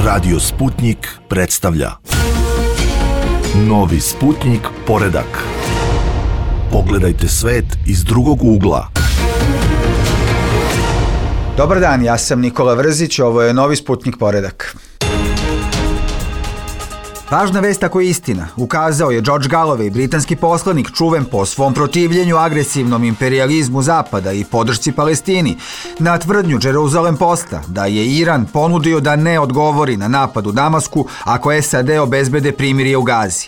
Radio Sputnik predstavlja Novi Sputnik poredak. Pogledajte svet iz drugog ugla. Dobar dan, ja sam Nikola Vrzić, ovo je Novi Sputnik poredak. Važna vest ako je istina, ukazao je George Galloway, britanski poslanik čuven po svom protivljenju agresivnom imperijalizmu Zapada i podršci Palestini, na tvrdnju Jerusalem Posta da je Iran ponudio da ne odgovori na napad u Damasku ako SAD obezbede primirje u Gazi.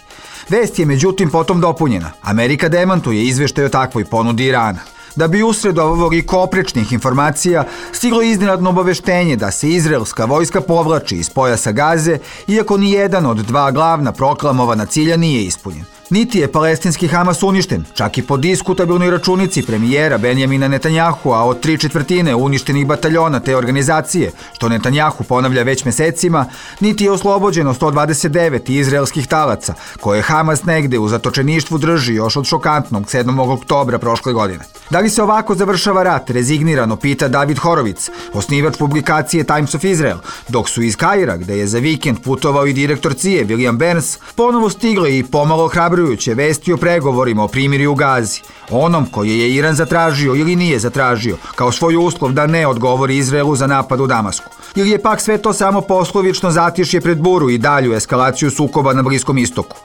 Vest je međutim potom dopunjena. Amerika demantuje izveštaj o takvoj ponudi Irana. Da bi usred ovog i oprečnih informacija stiglo iznenadno obaveštenje da se izraelska vojska povlači iz pojasa Gaze, iako ni jedan od dva glavna proklamovana cilja nije ispunjen. Niti je palestinski Hamas uništen, čak i po diskutabilnoj računici premijera Benjamina Netanjahua od 3/4 uništenih bataljona te organizacije, što Netanjahu ponavlja već mesecima, niti je oslobođeno 129 izraelskih talaca, koje Hamas negde u zatočeništvu drži još od šokantnog 7. oktobra prošle godine. Da li se ovako završava rat, rezignirano pita David Horowitz, osnivač publikacije Times of Israel, dok su iz Kaira, gde je za vikend putovao i direktor CIA William Burns, ponovo stigle i pomalo ohrabrujuće vesti o pregovorima o primirju u Gazi, onom koje je Iran zatražio ili nije zatražio, kao svoj uslov da ne odgovori Izraelu za napad u Damasku. Ili je pak sve to samo poslovično zatišje pred buru i dalju eskalaciju sukoba na Bliskom istoku.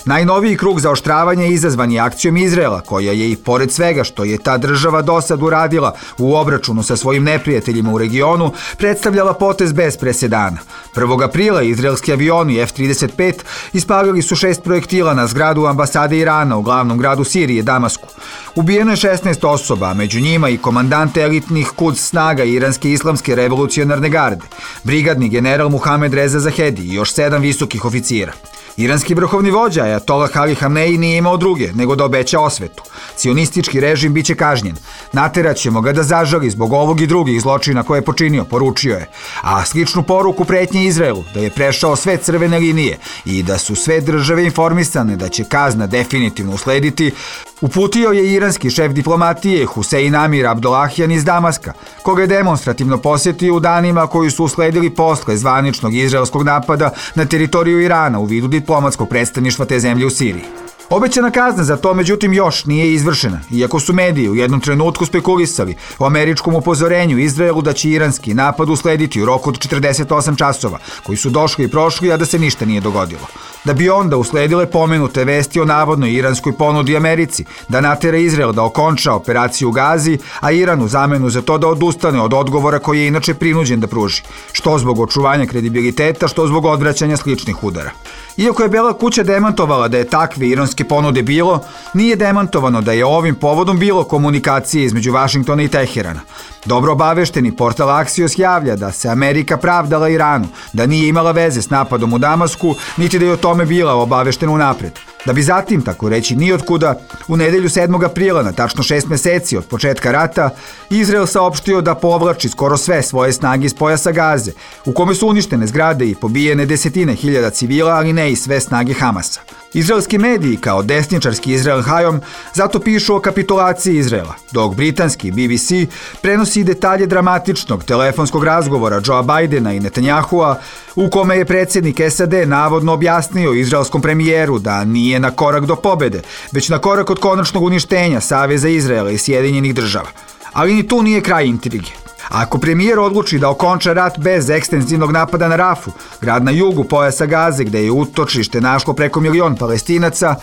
Najnoviji krug zaoštravanja izazvan je akcijom Izraela, koja je i pored svega što je ta država dosad uradila u obračunu sa svojim neprijateljima u regionu, predstavljala potez bez presedana. 1. aprila izraelski avioni F-35 ispalili su 6 projektila na zgradu ambasade Irana u glavnom gradu Sirije, Damasku. Ubijeno je 16 osoba, a među njima i komandante elitnih Quds snaga Iranske islamske revolucionarne garde, brigadni general Muhamed Reza Zahedi i još 7 visokih oficira. Iranski vrhovni vođa Ajatollah Ali Hamneji nije imao druge nego da obeća osvetu. Cionistički režim biće kažnjen. Naterat ćemo ga da zažali zbog ovog i drugih zločina koje je počinio, poručio je. A sličnu poruku pretnje Izraelu da je prešao sve crvene linije i da su sve države informisane da će kazna definitivno uslediti, uputio je iranski šef diplomatije Husein Amir Abdollahian iz Damaska, koga je demonstrativno posjetio u danima koji su usledili posle zvaničnog izraelskog napada na teritoriju Irana u vidu diplomatskog predstavništva te zemlje u Siriji. Obećana kazna za to međutim još nije izvršena, iako su mediji u jednom trenutku spekulisali o američkom upozorenju Izraelu da će iranski napad uslediti u roku od 48 časova, koji su došli i prošli, a da se ništa nije dogodilo. Da bi onda usledile pomenute vesti o navodnoj iranskoj ponudi Americi da natera Izrael da okonča operaciju u Gazi, a Iran u zamenu za to da odustane od odgovora koji je inače prinuđen da pruži, što zbog očuvanja kredibiliteta, što zbog odvraćanja sličnih udara. Iako je Bela kuća demantovala da je takve iranske ponude bilo, nije demantovano da je ovim povodom bilo komunikacije između Vašingtona i Teherana. Dobro obavešteni portal Axios javlja da se Amerika pravdala Iranu, da nije imala veze s napadom u Damasku, niti da je o tome bila obaveštena unapred. Da bi zatim, tako reći nijotkuda, u nedelju 7. aprila, na tačno 6 meseci od početka rata, Izrael saopštio da povlači skoro sve svoje snage iz pojasa Gaze, u kome su uništene zgrade i pobijene desetine hiljada civila, ali ne i sve snage Hamasa. Izraelski mediji, kao desničarski Israel Hayom, zato pišu o kapitulaciji Izraela, dok britanski BBC prenosi detalje dramatičnog telefonskog razgovora Joea Bidena i Netanjahua, u kome je predsjednik SAD navodno objasnio izraelskom premijeru da nije na korak do pobede, već na korak od konačnog uništenja Saveza Izraela i Sjedinjenih država. Ali ni tu nije kraj intrige. Ako premijer odluči da okonča rat bez ekstenzivnog napada na Rafu, grad na jugu pojasa Gaze gde je utočište našlo preko 1 milion Palestinaca,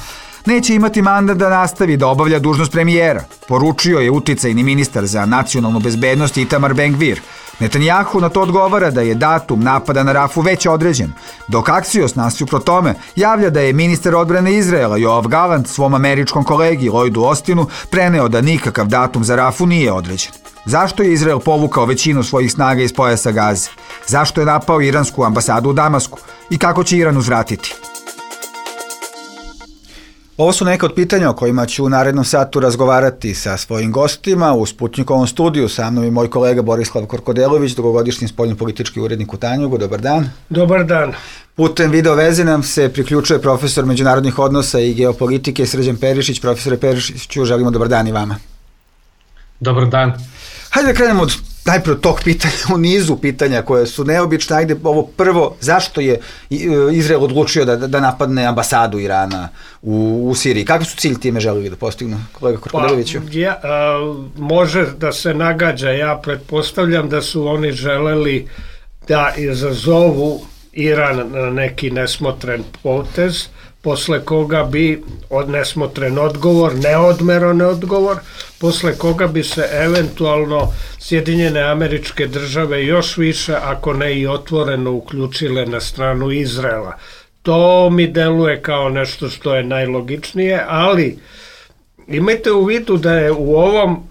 neće imati mandat da nastavi da obavlja dužnost premijera, poručio je uticajni ministar za nacionalnu bezbednost Itamar Ben-Gvir. Netanjahu na to odgovara da je datum napada na Rafu već određen, dok Axios nasuprot tome javlja da je ministar odbrane Izraela Yoav Gallant svom američkom kolegi Lloydu Austinu preneo da nikakav datum za Rafu nije određen. Zašto je Izrael povukao većinu svojih snaga iz pojasa Gaze? Zašto je napao iransku ambasadu u Damasku? I kako će Iran uzvratiti? Ovo su neka od pitanja o kojima ću u narednom satu razgovarati sa svojim gostima u Sputnikovom studiju. Sa mnom je moj kolega Borislav Korkodelović, dugogodišnji spoljnopolitički urednik u Tanjugu. Dobar dan. Dobar dan. Putem video veze nam se priključuje profesor međunarodnih odnosa i geopolitike Srđan Perišić. Profesore Perišiću, želimo dobar dan i vama. Dobar dan. Hajde da krenemo od najprije tog pitanja u nizu pitanja koje su neobične. Ajde, ovo prvo, zašto je Izrael odlučio da napadne ambasadu Irana u Siriji? Kakvi su cilj time želili da postignu, kolega Korkodeloviću? Može da se nagađa, ja pretpostavljam da su oni želeli da izazovu Iran na neki nesmotren potez, posle koga bi nesmotren odgovor, neodmeran odgovor, posle koga bi se eventualno Sjedinjene Američke Države još više, ako ne i otvoreno, uključile na stranu Izraela. To mi deluje kao nešto što je najlogičnije, ali imajte u vidu da je u ovom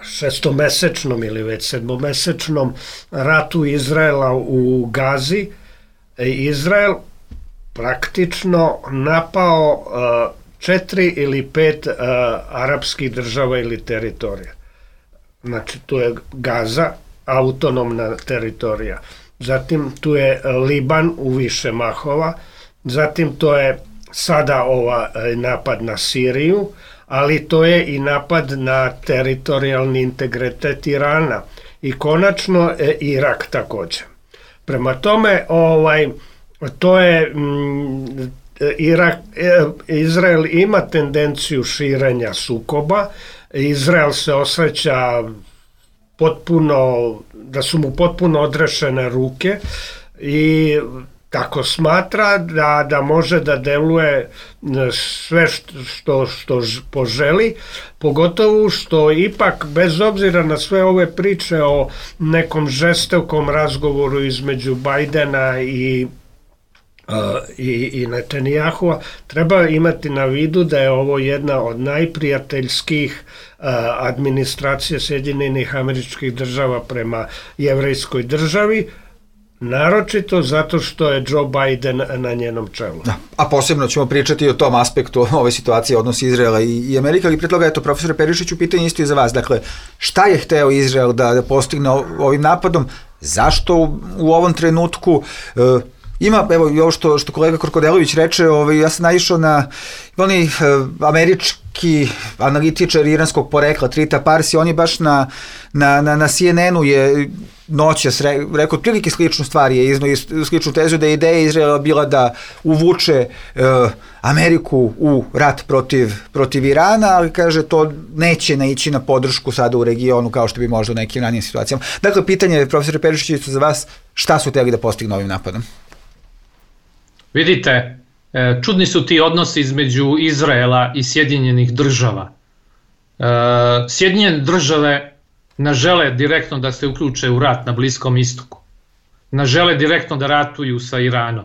šestomesečnom ili već sedmomesečnom ratu Izraela u Gazi, Izrael praktično napao 4 ili 5 arapskih država ili teritorija. Znači, tu je Gaza, autonomna teritorija. Zatim tu je Liban u više mahova. Zatim to je sada napad na Siriju, ali to je i napad na teritorijalni integritet Irana. I konačno Irak također. Prema tome, to je Izrael ima tendenciju širenja sukoba. Izrael se osjeća da su mu potpuno odrešene ruke i tako smatra da može da deluje sve što poželi, pogotovo što ipak, bez obzira na sve ove priče o nekom žestokom razgovoru između Bajdena i Netanjahua, treba imati na vidu da je ovo jedna od najprijateljskih administracija Sjedinjenih Američkih Država prema jevrejskoj državi, naročito zato što je Joe Biden na njenom čelu. Da, a posebno ćemo pričati o tom aspektu ove situacije, odnosi Izraela i Amerike, ali pre toga, eto, profesore Perišiću, pitanje isto i za vas. Dakle, šta je hteo Izrael da postigne ovim napadom? Zašto u ovom trenutku ima, evo, i ovo što kolega Korkodelović reče, ja sam naišao na oni američki analitičar iranskog porekla, Trita Parsi, on je baš na CNN-u je noćas rekao otprilike sličnu stvar, je iznao sličnu tezu da je ideja Izraela bila da uvuče Ameriku u rat protiv Irana, ali kaže to neće naići na podršku sada u regionu kao što bi možda u nekim ranijim situacijama. Dakle, pitanje, profesore Perišiću, za vas, šta su hteli da postignu ovim napadom? Vidite, čudni su ti odnosi između Izraela i Sjedinjenih Država. Sjedinjene Države ne žele direktno da se uključe u rat na Bliskom istoku. Ne žele direktno da ratuju sa Iranom.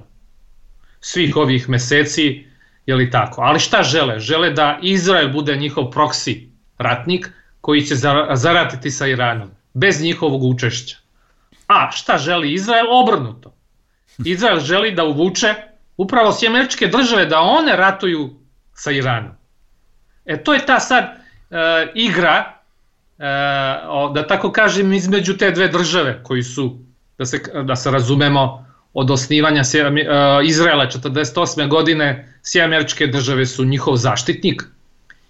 Svih ovih meseci, je li tako? Ali šta žele? Žele da Izrael bude njihov proksi ratnik koji će zaratiti sa Iranom, bez njihovog učešća. A šta želi Izrael? Obrnuto. Izrael želi da uvuče upravo Sjedinjene Američke Države da one ratuju sa Iranom. To je ta sad igra, da tako kažem, između te dve države koji su, da se razumemo, od osnivanja Izraela 1948. godine, Sjedinjene Američke Države su njihov zaštitnik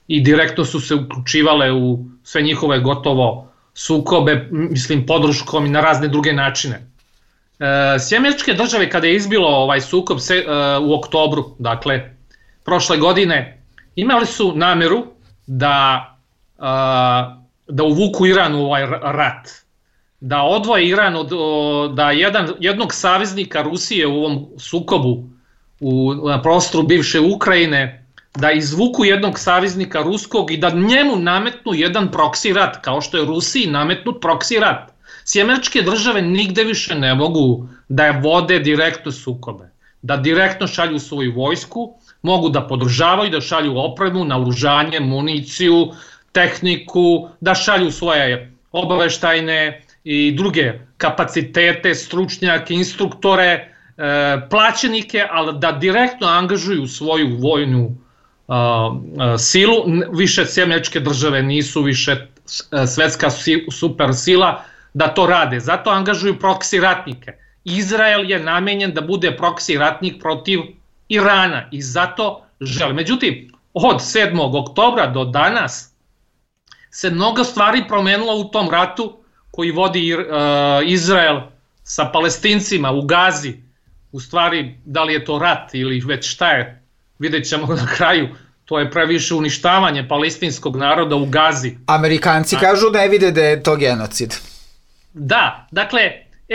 i direktno su se uključivale u sve njihove gotovo sukobe, mislim, podrškom i na razne druge načine. Sjedinjene Američke Države, kada je izbilo ovaj sukob u oktobru, dakle, prošle godine, imali su nameru da uvuku Iran u ovaj rat, da odvoje Iran da jednog saveznika Rusije u ovom sukobu na prostoru bivše Ukrajine, da izvuku jednog saveznika ruskog i da njemu nametnu jedan proksi rat, kao što je Rusiji nametnut proksi rat. Sjedinjene Američke Države nigde više ne mogu da vode direktno sukobe, da direktno šalju svoju vojsku, mogu da podržavaju, da šalju opremu, naoružanje, municiju, tehniku, da šalju svoje obaveštajne i druge kapacitete, stručnjake, instruktore, plaćenike, ali da direktno angažuju svoju vojnu silu. Više Sjedinjene Američke Države nisu više svetska super sila da to rade, zato angažuju proksi ratnike. Izrael je namenjen da bude proksi ratnik protiv Irana i zato žele. Međutim, od 7. oktobra do danas se mnogo stvari promenilo u tom ratu koji vodi Izrael sa Palestincima u Gazi, u stvari da li je to rat ili već šta je, vidjet ćemo na kraju, to je previše uništavanje palestinskog naroda u Gazi. Amerikanci kažu ne vide da je to genocid. Da, dakle,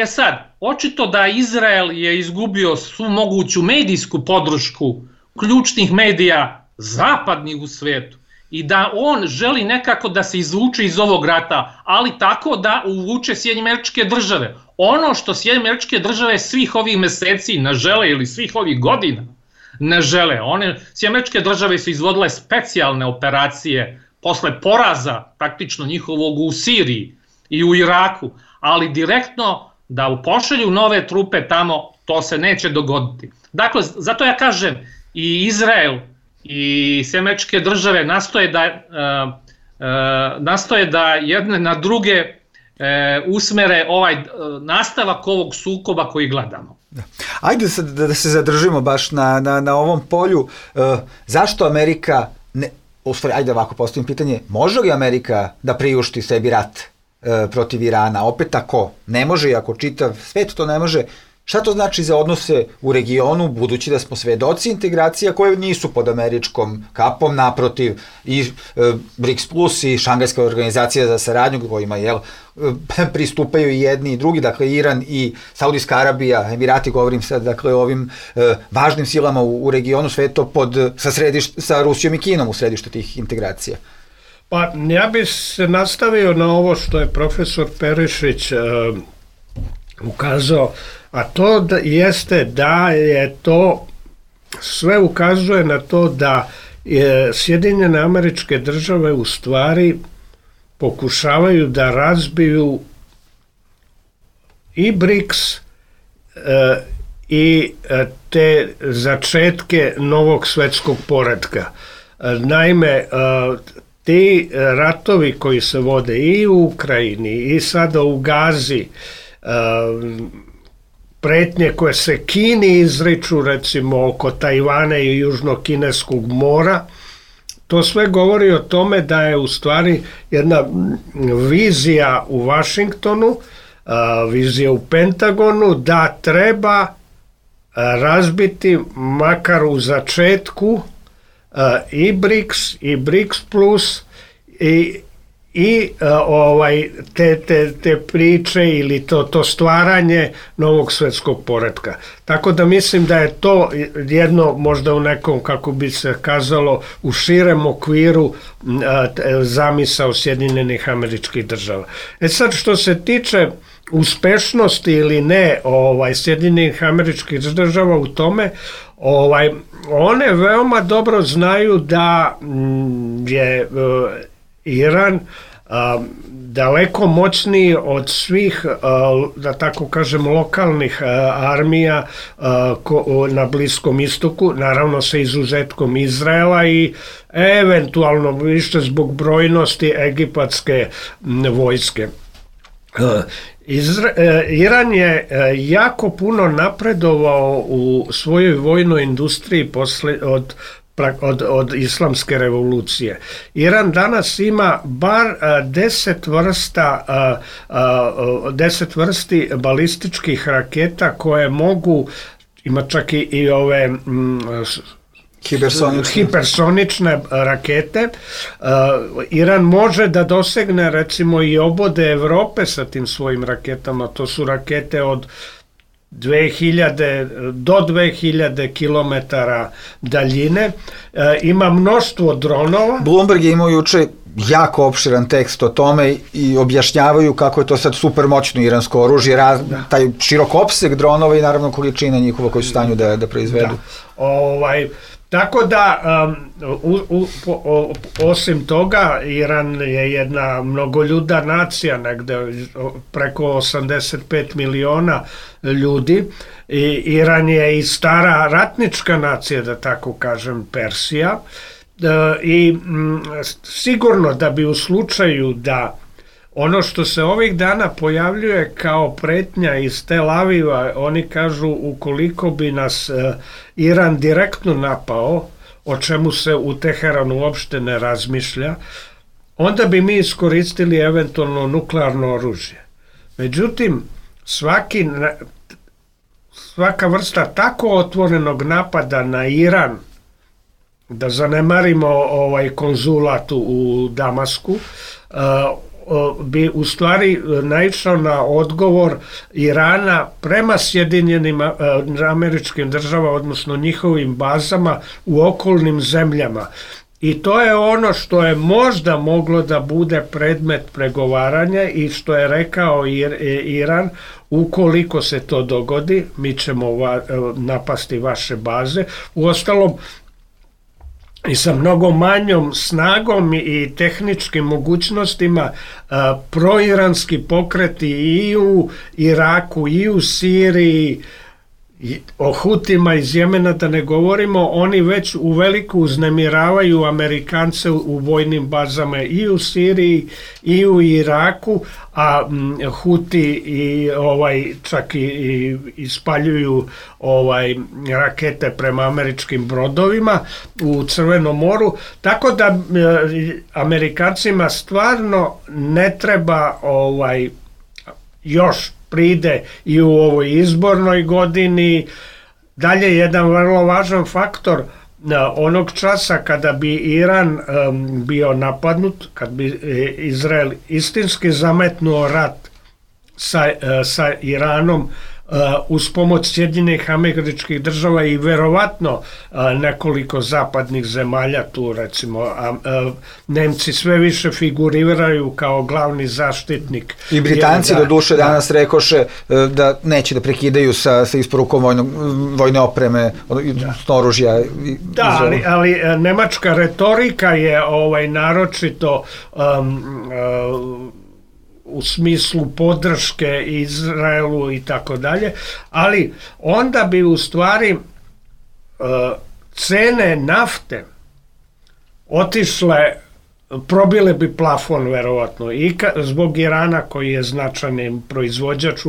sad, očito da Izrael je izgubio svu moguću medijsku podršku ključnih medija zapadnih u svetu i da on želi nekako da se izvuče iz ovog rata, ali tako da uvuče Sjedinjene Američke Države. Ono što Sjedinjene Američke Države svih ovih meseci ne žele ili svih ovih godina ne žele. Sjedinjene Američke Države su izvodile specijalne operacije posle poraza praktično njihovog u Siriji i u Iraku, ali direktno da pošalju nove trupe tamo, to se neće dogoditi. Dakle, zato ja kažem, i Izrael i Sjedinjene Američke Države nastoje da jedne na druge usmere nastavak ovog sukoba koji gledamo. Ajde da se zadržimo baš na ovom polju. Zašto Amerika, ajde ovako postavim pitanje, može li Amerika da priušti sebi rat protiv Irana? Opet ako ne može i ako čitav svet to ne može, šta to znači za odnose u regionu, budući da smo svedoci integracija koje nisu pod američkom kapom, naprotiv i BRICS Plus i Šangajska organizacija za saradnju kojima pristupaju i jedni i drugi, dakle Iran i Saudijska Arabija, Emirati, govorim sad, dakle o ovim važnim silama u regionu, sve to sa Rusijom i Kinom u središtu tih integracija. Pa ja bih se nastavio na ovo što je profesor Perišić ukazao, a to jeste da je to, sve ukazuje na to da Sjedinjene Američke Države u stvari pokušavaju da razbiju i BRICS i te začetke novog svetskog poretka. Naime, ti ratovi koji se vode i u Ukrajini i sada u Gazi, pretnje koje se Kini izriču, recimo oko Tajvana i Južnokineskog mora, to sve govori o tome da je u stvari jedna vizija u Vašingtonu, vizija u Pentagonu, da treba razbiti makar u začetku i BRICS i BRICS Plus i te priče ili to stvaranje novog svetskog poretka. Tako da mislim da je to jedno možda u nekom, kako bi se kazalo, u širem okviru zamisao Sjedinjenih Američkih Država. Sad što se tiče uspešnosti ili ne Sjedinjenih Američkih Država u tome, one veoma dobro znaju da je Iran daleko moćniji od svih, da tako kažem, lokalnih armija na Bliskom istoku, naravno sa izuzetkom Izraela i eventualno više zbog brojnosti egipatske vojske. Iran je jako puno napredovao u svojoj vojnoj industriji od islamske revolucije. Iran danas ima bar 10 vrsti balističkih raketa koje mogu, ima čak i ove hipersonične rakete. Iran može da dosegne recimo i obode Evrope sa tim svojim raketama. To su rakete od 2000 do 2000 km daljine. Ima mnoštvo dronova. Bloomberg je imao juče jako opširan tekst o tome i objašnjavaju kako je to sad super moćno iransko oružje, taj širok opseg dronova i naravno količina njihova koju su u stanju da proizvedu. Tako da, osim toga, Iran je jedna mnogoljuda nacija, negde preko 85 miliona ljudi. Iran je i stara ratnička nacija, da tako kažem, Persija. I sigurno da bi u slučaju da ono što se ovih dana pojavljuje kao pretnja iz Tel Aviva, oni kažu ukoliko bi nas Iran direktno napao, o čemu se u Teheranu uopšte ne razmišlja, onda bi mi iskoristili eventualno nuklearno oružje. Međutim, svaka vrsta tako otvorenog napada na Iran, da zanemarimo konzulat u Damasku, bi u stvari naišao na odgovor Irana prema Sjedinjenim Američkim Državama, odnosno njihovim bazama u okolnim zemljama. I to je ono što je možda moglo da bude predmet pregovaranja i što je rekao Iran, ukoliko se to dogodi, mi ćemo napasti vaše baze. Uostalom, i sa mnogo manjom snagom i tehničkim mogućnostima proiranski pokreti i u Iraku i u Siriji, o Hutima iz Jemena da ne govorimo, oni već uveliko uznemiravaju Amerikance u vojnim bazama i u Siriji i u Iraku, a Huti čak i ispaljuju rakete prema američkim brodovima u Crvenom moru, tako da Amerikancima stvarno ne treba još pride i u ovoj izbornoj godini. Dalje, jedan vrlo važan faktor, onog časa kada bi Iran bio napadnut, kad bi Izrael istinski zametnuo rat sa Iranom uz pomoć Sjedinjenih Američkih Država i verovatno nekoliko zapadnih zemalja, tu recimo Nemci sve više figuriraju kao glavni zaštitnik. I Britanci do duše danas rekoše da neće da prekidaju sa isporukom vojne opreme, oružja. Da, ali nemačka retorika je naročito u smislu podrške Izraelu i tako dalje, ali onda bi u stvari cene nafte otišle, probile bi plafon verovatno i zbog Irana koji je značajni proizvođač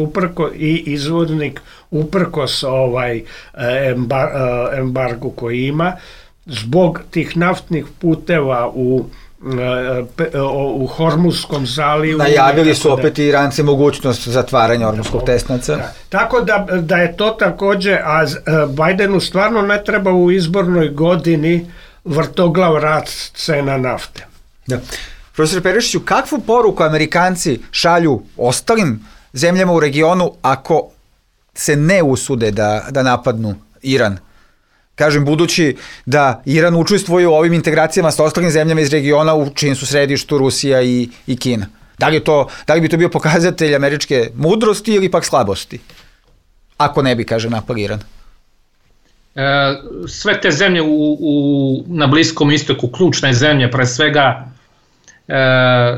i izvoznik uprkos embargu koji ima, zbog tih naftnih puteva u Hormuzskom zalivu. Najavili su opet i Iranci mogućnost zatvaranja Hormuzskog tesnaca. Tako da je to takođe, a Bajdenu stvarno ne treba u izbornoj godini vrtoglav rast cena nafte. Da. Profesor Perišiću, kakvu poruku Amerikanci šalju ostalim zemljama u regionu ako se ne usude da napadnu Iran? Kažem, budući da Iran učestvuje u ovim integracijama sa ostalim zemljama iz regiona u čijim su središtu Rusija i Kina. Da li bi to bio pokazatelj američke mudrosti ili pak slabosti? Ako ne bi, kaže, napad Iran. Sve te zemlje na Bliskom istoku, ključne zemlje, pre svega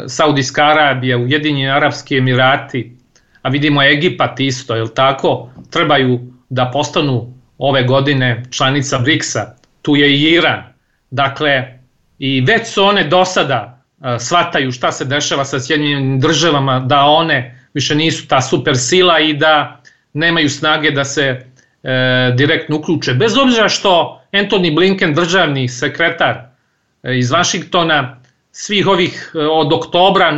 Saudijska Arabija, Ujedinjeni Arapski Emirati, a vidimo Egipat isto, jel tako, trebaju da postanu ove godine članica BRICS-a, tu je i Iran. Dakle, i već su one do sada shvataju šta se dešava sa Sjedinjenim Državama, da one više nisu ta super sila i da nemaju snage da se direktno uključe. Bez obzira što Antony Blinken, državni sekretar iz Vašingtona, svih ovih od oktobra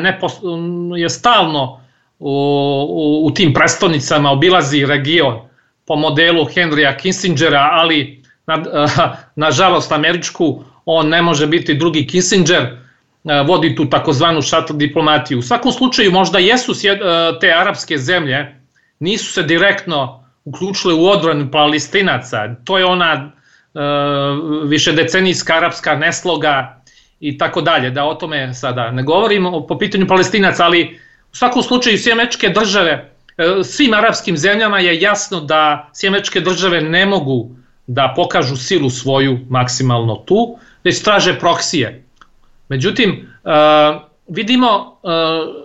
je stalno u tim prestonicama, obilazi region po modelu Henrya Kissingera, ali nažalost američku, on ne može biti drugi Kissinger, vodi tu takozvanu shuttle diplomatiju. U svakom slučaju možda jesu te arapske zemlje, nisu se direktno uključile u odbranu Palestinaca, to je ona višedecenijska arapska nesloga i tako dalje, da o tome sada ne govorimo po pitanju Palestinaca, ali u svakom slučaju sve američke države, svim arapskim zemljama je jasno da sve američke države ne mogu da pokažu silu svoju maksimalno tu, već traže proksije. Međutim, vidimo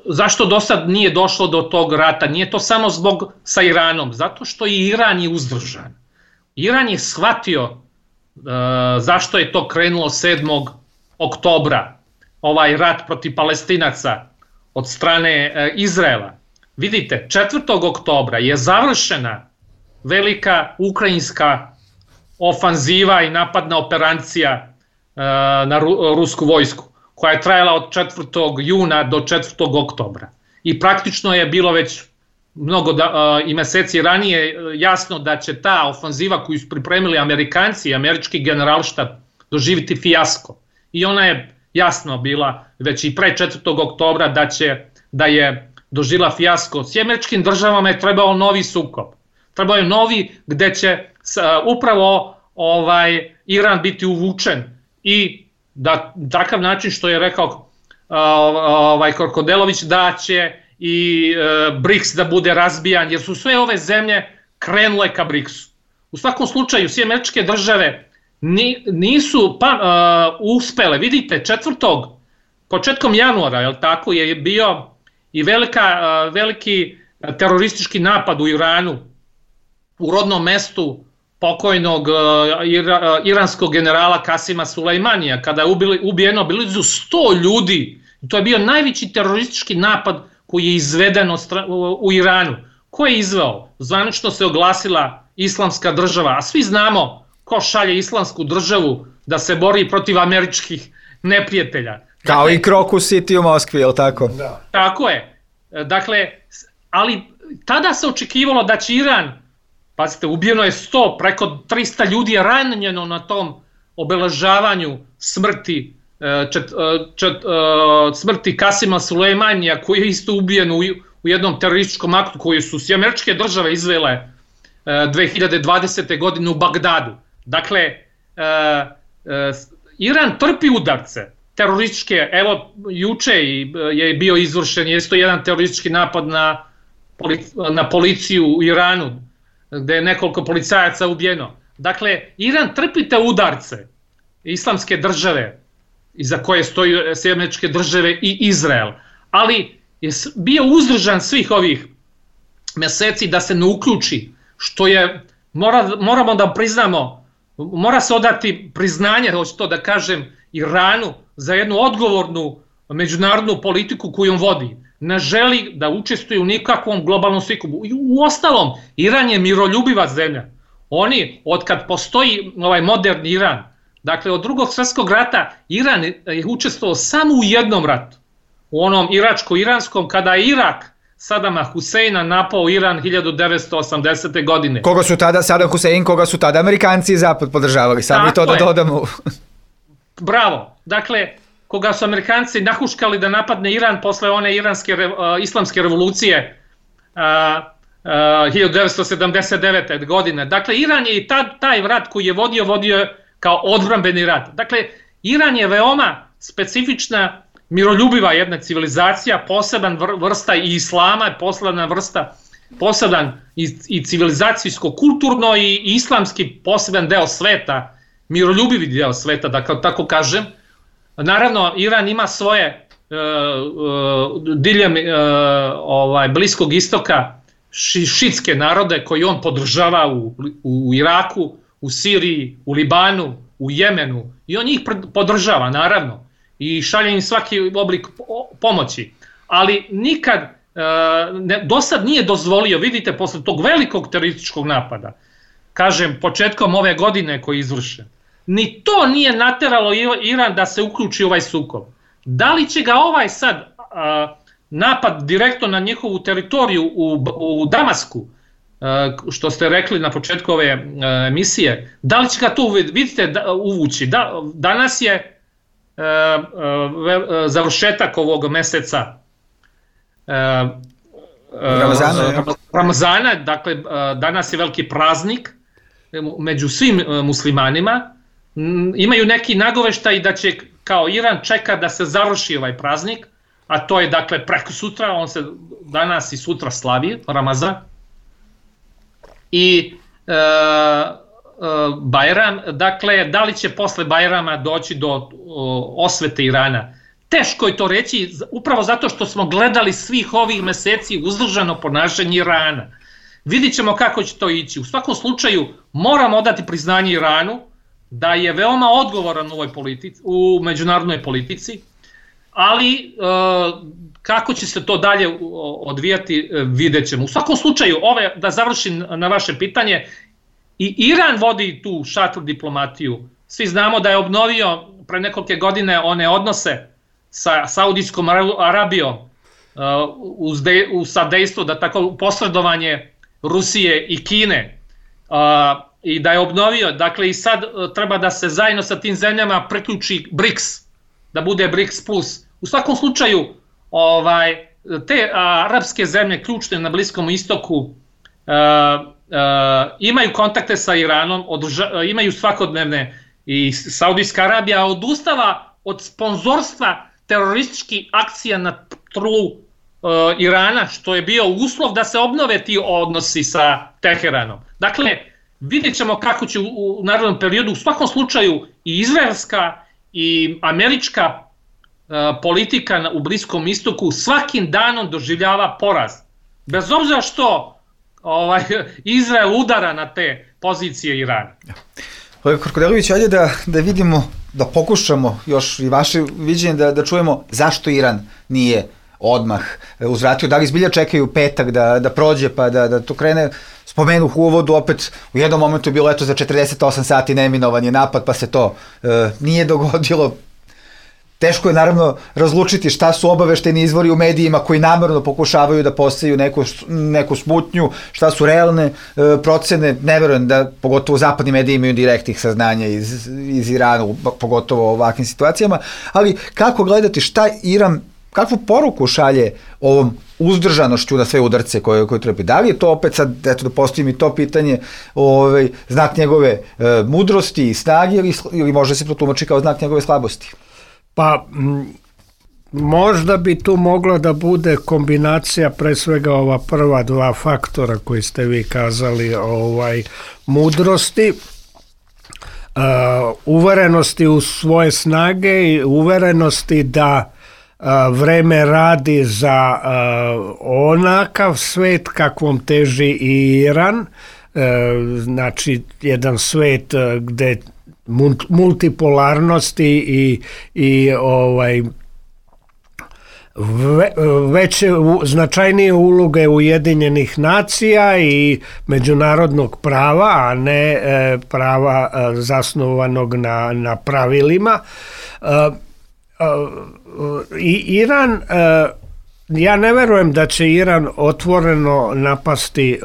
zašto do sad nije došlo do tog rata. Nije to samo zbog sa Iranom, zato što i Iran je uzdržan. Iran je shvatio zašto je to krenulo 7. oktobra, ovaj rat protiv Palestinaca od strane Izraela. Vidite, 4. oktobra je završena velika ukrajinska ofanziva i napadna operacija na rusku vojsku, koja je trajala od 4. juna do 4. oktobra. I praktično je bilo već i meseci ranije jasno da će ta ofanziva koju su pripremili Amerikanci i američki generalštab doživiti fijasko. I ona je jasno bila već i pre 4. oktobra da je doživjela fijasko. S američkim državama je trebao novi sukob. Trebao je novi gde će upravo Iran biti uvučen i da takav način što je rekao Korkodelović da će i BRICS da bude razbijan, jer su sve ove zemlje krenule ka BRICS-u. U svakom slučaju, sve američke države nisu uspele. Vidite, početkom januara, je bio i veliki teroristički napad u Iranu, u rodnom mestu pokojnog iranskog generala Kasima Sulejmanija, kada je ubijeno blizu 100 ljudi. To je bio najveći teroristički napad koji je izveden u Iranu. Ko je izveo? Zvanično se oglasila Islamska država, a svi znamo ko šalje Islamsku državu da se bori protiv američkih neprijatelja. Kao i Crocus City u Moskvi, je li tako? Da. Tako je. Dakle, ali tada se očekivalo da će Iran, pazite, ubijeno je preko 300 ljudi je ranjeno na tom obeležavanju smrti Kasima Sulejmanija, koji je isto ubijen u jednom terorističkom aktu koji su sve američke države izvele 2020. godine u Bagdadu. Dakle, Iran trpi udarce terorističke, evo juče je bio izvršen isto jedan teroristički napad na policiju u Iranu, gde je nekoliko policajaca ubijeno. Dakle, Iran trpi te udarce Islamske države, iza koje stoji Sjedinjene Američke Države i Izrael, ali je bio uzdržan svih ovih meseci da se ne uključi, što je, moramo da priznamo, mora se odati priznanje, hoću to da kažem, Iranu za jednu odgovornu međunarodnu politiku koju on vodi. Ne želi da učestvuje u nikakvom globalnom sukobu. U ostalom, Iran je miroljubiva zemlja. Oni, od kad postoji ovaj moderni Iran, dakle od Drugog svjetskog rata, Iran je učestvovao samo u jednom ratu. U onom iračko-iranskom, kada je Irak Sadama Huseina napao Iran 1980. godine. Koga su tada, Saddam Hussein, koga su tada Amerikanci i Zapad podržavali, sad mi to da dodamo. Bravo, dakle, koga su Amerikanci nahuškali da napadne Iran posle one islamske revolucije 1979. godine. Dakle, Iran je i taj rat koji je vodio kao odbrambeni rat. Dakle, Iran je veoma specifična, miroljubiva jedna civilizacija, poseban vrsta i islama, poseban i civilizacijsko-kulturno i islamski poseban deo sveta, miroljubivi deo sveta, da tako kažem. Naravno, Iran ima svoje diljem Bliskog istoka šiitske narode koji on podržava u Iraku, u Siriji, u Libanu, u Jemenu, i on njih podržava, naravno, i šalje im svaki oblik pomoći. Ali nikad do sad nije dozvolio, vidite, posle tog velikog terorističkog napada, kažem, početkom ove godine koji je izvršen, ni to nije nateralo Iran da se uključi u ovaj sukob. Da li će ga ovaj sad napad direktno na njihovu teritoriju u Damasku, što ste rekli na početku ove emisije, da li će ga to, vidite, uvući? Danas je završetak ovog meseca Ramazana, dakle danas je veliki praznik među svim muslimanima. Imaju neki nagoveštaj da će, kao Iran čeka da se završi ovaj praznik, a to je dakle preko sutra, on se danas i sutra slavi, Ramazan. I Bajram, dakle, da li će posle Bajrama doći do osvete Irana? Teško je to reći, upravo zato što smo gledali svih ovih meseci uzdržano ponašanje Irana. Vidit ćemo kako će to ići. U svakom slučaju moramo odati priznanje Iranu da je veoma odgovoran u međunarodnoj politici, ali kako će se to dalje odvijati, vidjet ćemo. U svakom slučaju, da završim na vaše pitanje, i Iran vodi tu šatru diplomatiju. Svi znamo da je obnovio pre nekoliko godine one odnose sa Saudijskom Arabijom u sadejstvo, da tako posredovanje Rusije i Kine, i da je obnovio, dakle i sad treba da se zajedno sa tim zemljama priključi BRICS, da bude BRICS plus. U svakom slučaju, te arapske zemlje ključne na Bliskom istoku imaju kontakte sa Iranom, imaju svakodnevne, i Saudijska Arabija odustala od sponzorstva terorističkih akcija na tlu Irana, što je bio uslov da se obnove ti odnosi sa Teheranom. Dakle, vidjet ćemo kako će u narednom periodu, u svakom slučaju i izraelska i američka politika u Bliskom istoku svakim danom doživljava poraz. Bez obzira što Izrael udara na te pozicije Irana. Kolega Korkodelović, ajde da vidimo, da pokušamo još i vaše viđenje da čujemo zašto Iran nije odmah uzvratio, da li zbilja čekaju petak da prođe pa da to krene. Spomenuh u uvodu, opet u jednom momentu je bilo za 48 sati neminovan je napad, pa se to nije dogodilo. Teško je naravno razlučiti šta su obavešteni izvori u medijima koji namerno pokušavaju da poseju neku smutnju, šta su realne procene. Ne verujem da pogotovo zapadni mediji imaju direktnih saznanja iz Irana, pogotovo u ovakvim situacijama, ali kako gledati šta Iran, kakvu poruku šalje ovom uzdržanošću na sve udarce koje trpi? Da li je to opet sad, eto da postavim i to pitanje, znak njegove mudrosti i snage ili može se protumačiti kao znak njegove slabosti? Pa možda bi tu mogla da bude kombinacija pre svega ova prva dva faktora koji ste vi kazali, mudrosti, uverenosti u svoje snage i uverenosti da vreme radi za onakav svet kakvom teži i Iran, znači jedan svet gde multipolarnosti i veće značajnije uloge Ujedinjenih nacija i međunarodnog prava, a ne prava zasnovanog na pravilima. I Iran, ja ne verujem da će Iran otvoreno napasti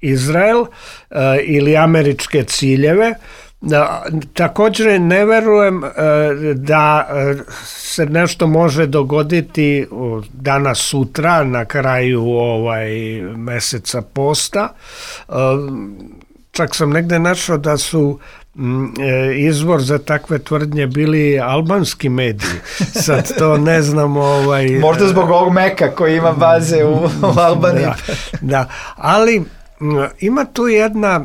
Izrael ili američke ciljeve. Također ne verujem da se nešto može dogoditi danas sutra na kraju meseca posta. Čak sam negde našao da su izvor za takve tvrdnje bili albanski mediji. Sad to ne znam. Možda zbog ovog Meka koji ima baze u Albaniji. Da, ali ima tu jedna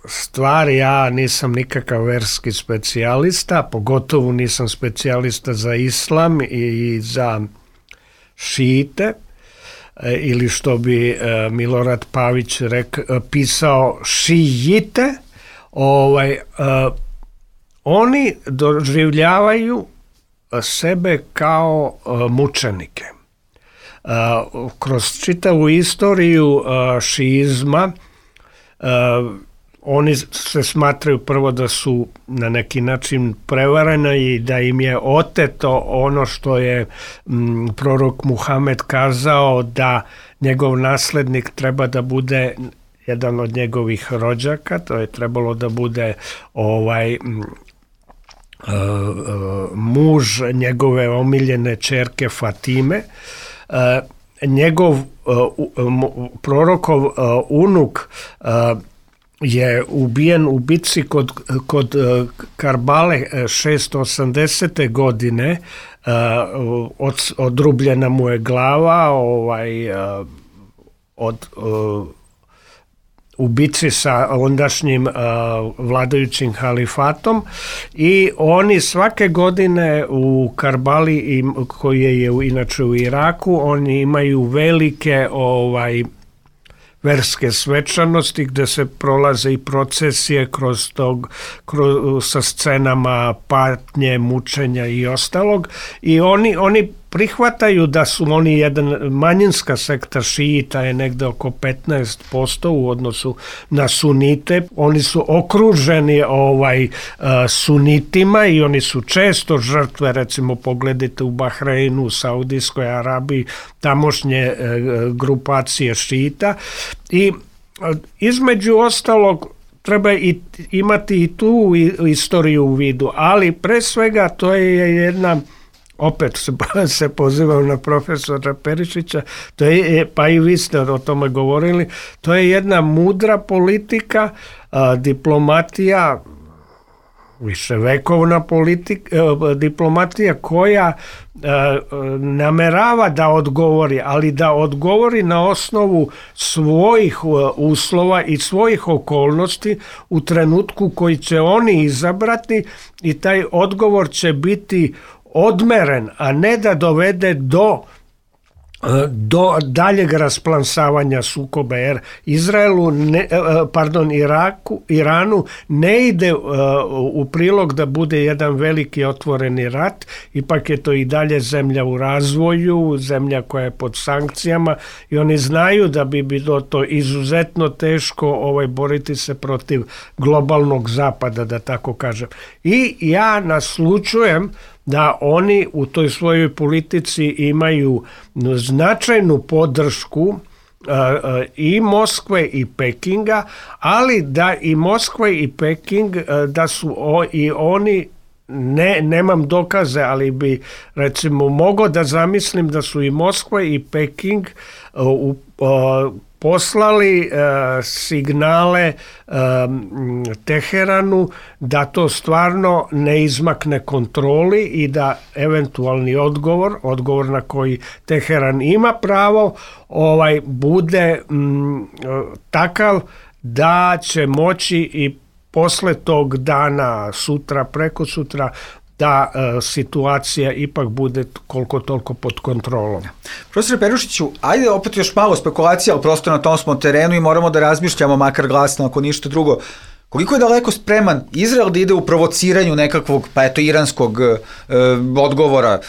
stvar, ja nisam nikakav verski specijalista, pogotovo nisam specijalista za islam i za šite, ili što bi Milorad Pavić pisao šijite. Oni doživljavaju sebe kao mučenike. Kroz čitavu istoriju šiizma oni se smatraju prvo da su na neki način prevareni i da im je oteto ono što je prorok Muhamed kazao, da njegov naslednik treba da bude jedan od njegovih rođaka, to je trebalo da bude muž njegove omiljene ćerke Fatime. Njegov prorokov unuk je ubijen u bitci kod Karbale 680. godine, odrubljena mu je glava u bitci sa ondašnjim vladajućim halifatom, i oni svake godine u Karbali, koji je inače u Iraku, oni imaju velike verske svečanosti gde se prolaze i procesije sa scenama patnje, mučenja i ostalog, i oni prihvataju da su oni jedan manjinska sekta šijita je negde oko 15% u odnosu na sunite. Oni su okruženi sunitima i oni su često žrtve, recimo pogledajte u Bahreinu, u Saudijskoj Arabiji, tamošnje grupacije šijita. I između ostalog treba imati i tu istoriju u vidu, ali pre svega to je jedna, opet se pozivam na profesora Perišića, to je, pa i vi ste o tome govorili, to je jedna mudra politika, diplomatija, viševekovna diplomatija koja namerava da odgovori, ali da odgovori na osnovu svojih uslova i svojih okolnosti u trenutku koji će oni izabrati i taj odgovor će biti odmeren, a ne da dovede do daljeg rasplansavanja sukoba, jer Iranu ne ide u prilog da bude jedan veliki otvoreni rat, ipak je to i dalje zemlja u razvoju, zemlja koja je pod sankcijama i oni znaju da bi bilo to izuzetno teško boriti se protiv globalnog zapada, da tako kažem. I ja naslučujem da oni u toj svojoj politici imaju značajnu podršku i Moskve i Pekinga, ali da i Moskva i Peking, da su i oni, nemam dokaze, ali bi recimo mogao da zamislim da su i Moskva i Peking poslali signale Teheranu da to stvarno ne izmakne kontroli i da eventualni odgovor na koji Teheran ima pravo, bude takav da će moći i posle tog dana, sutra, preko sutra, da situacija ipak bude koliko toliko pod kontrolom. Profesor Perušiću, ajde opet još malo spekulacija, ali prosto na tom smo terenu i moramo da razmišljamo, makar glasno, ako ništa drugo. Koliko je daleko spreman Izrael da ide u provociranju nekakvog, iranskog odgovora?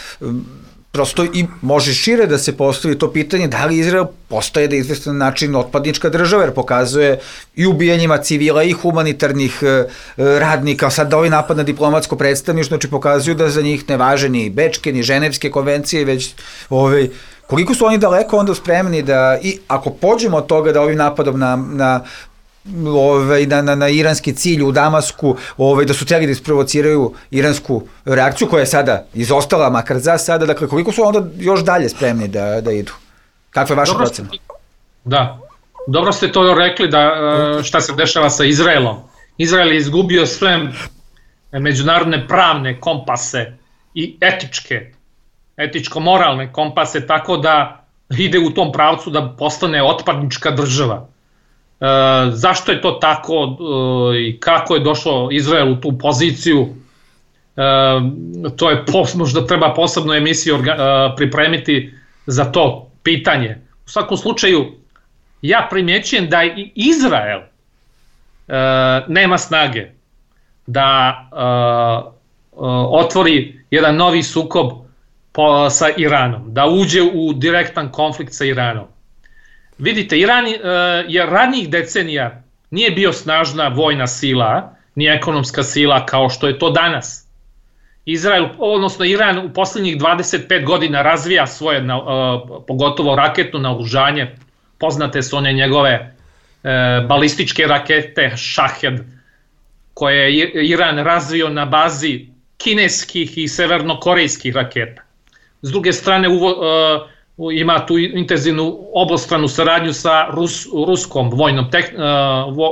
Prosto i može šire da se postavi to pitanje da li Izrael postaje da je izvestan način otpadnička država, jer pokazuje i ubijanjima civila i humanitarnih radnika, sad da ovaj napad na diplomatsko predstavništvo, znači pokazuju da za njih ne važe ni Bečke, ni Ženevske konvencije, već koliko su oni daleko onda spremni da, i ako pođemo od toga da ovim napadom na iranski cilj u Damasku, da su htjeli da isprovociraju iransku reakciju koja je sada izostala, makar za sada, dakle koliko su onda još dalje spremni da idu? Kakva je vaša procena? Da, dobro ste to rekli da šta se dešava sa Izraelom. Izrael je izgubio sve međunarodne pravne kompase i etičko-moralne kompase, tako da ide u tom pravcu da postane otpadnička država. Zašto je to tako i kako je došlo Izrael u tu poziciju, to je možda treba posebnu emisiju pripremiti za to pitanje. U svakom slučaju ja primjećujem da i Izrael nema snage da otvori jedan novi sukob sa Iranom, da uđe u direktan konflikt sa Iranom. Vidite, Iran je ranijih decenija nije bio snažna vojna sila, ni ekonomska sila kao što je to danas. Iran u posljednjih 25 godina razvija svoje, pogotovo raketno naoružanje. Poznate su one njegove balističke rakete Shahed, koje je Iran razvio na bazi kineskih i severnokorejskih raketa. S druge strane, ima tu intenzivnu obostranu saradnju sa ruskom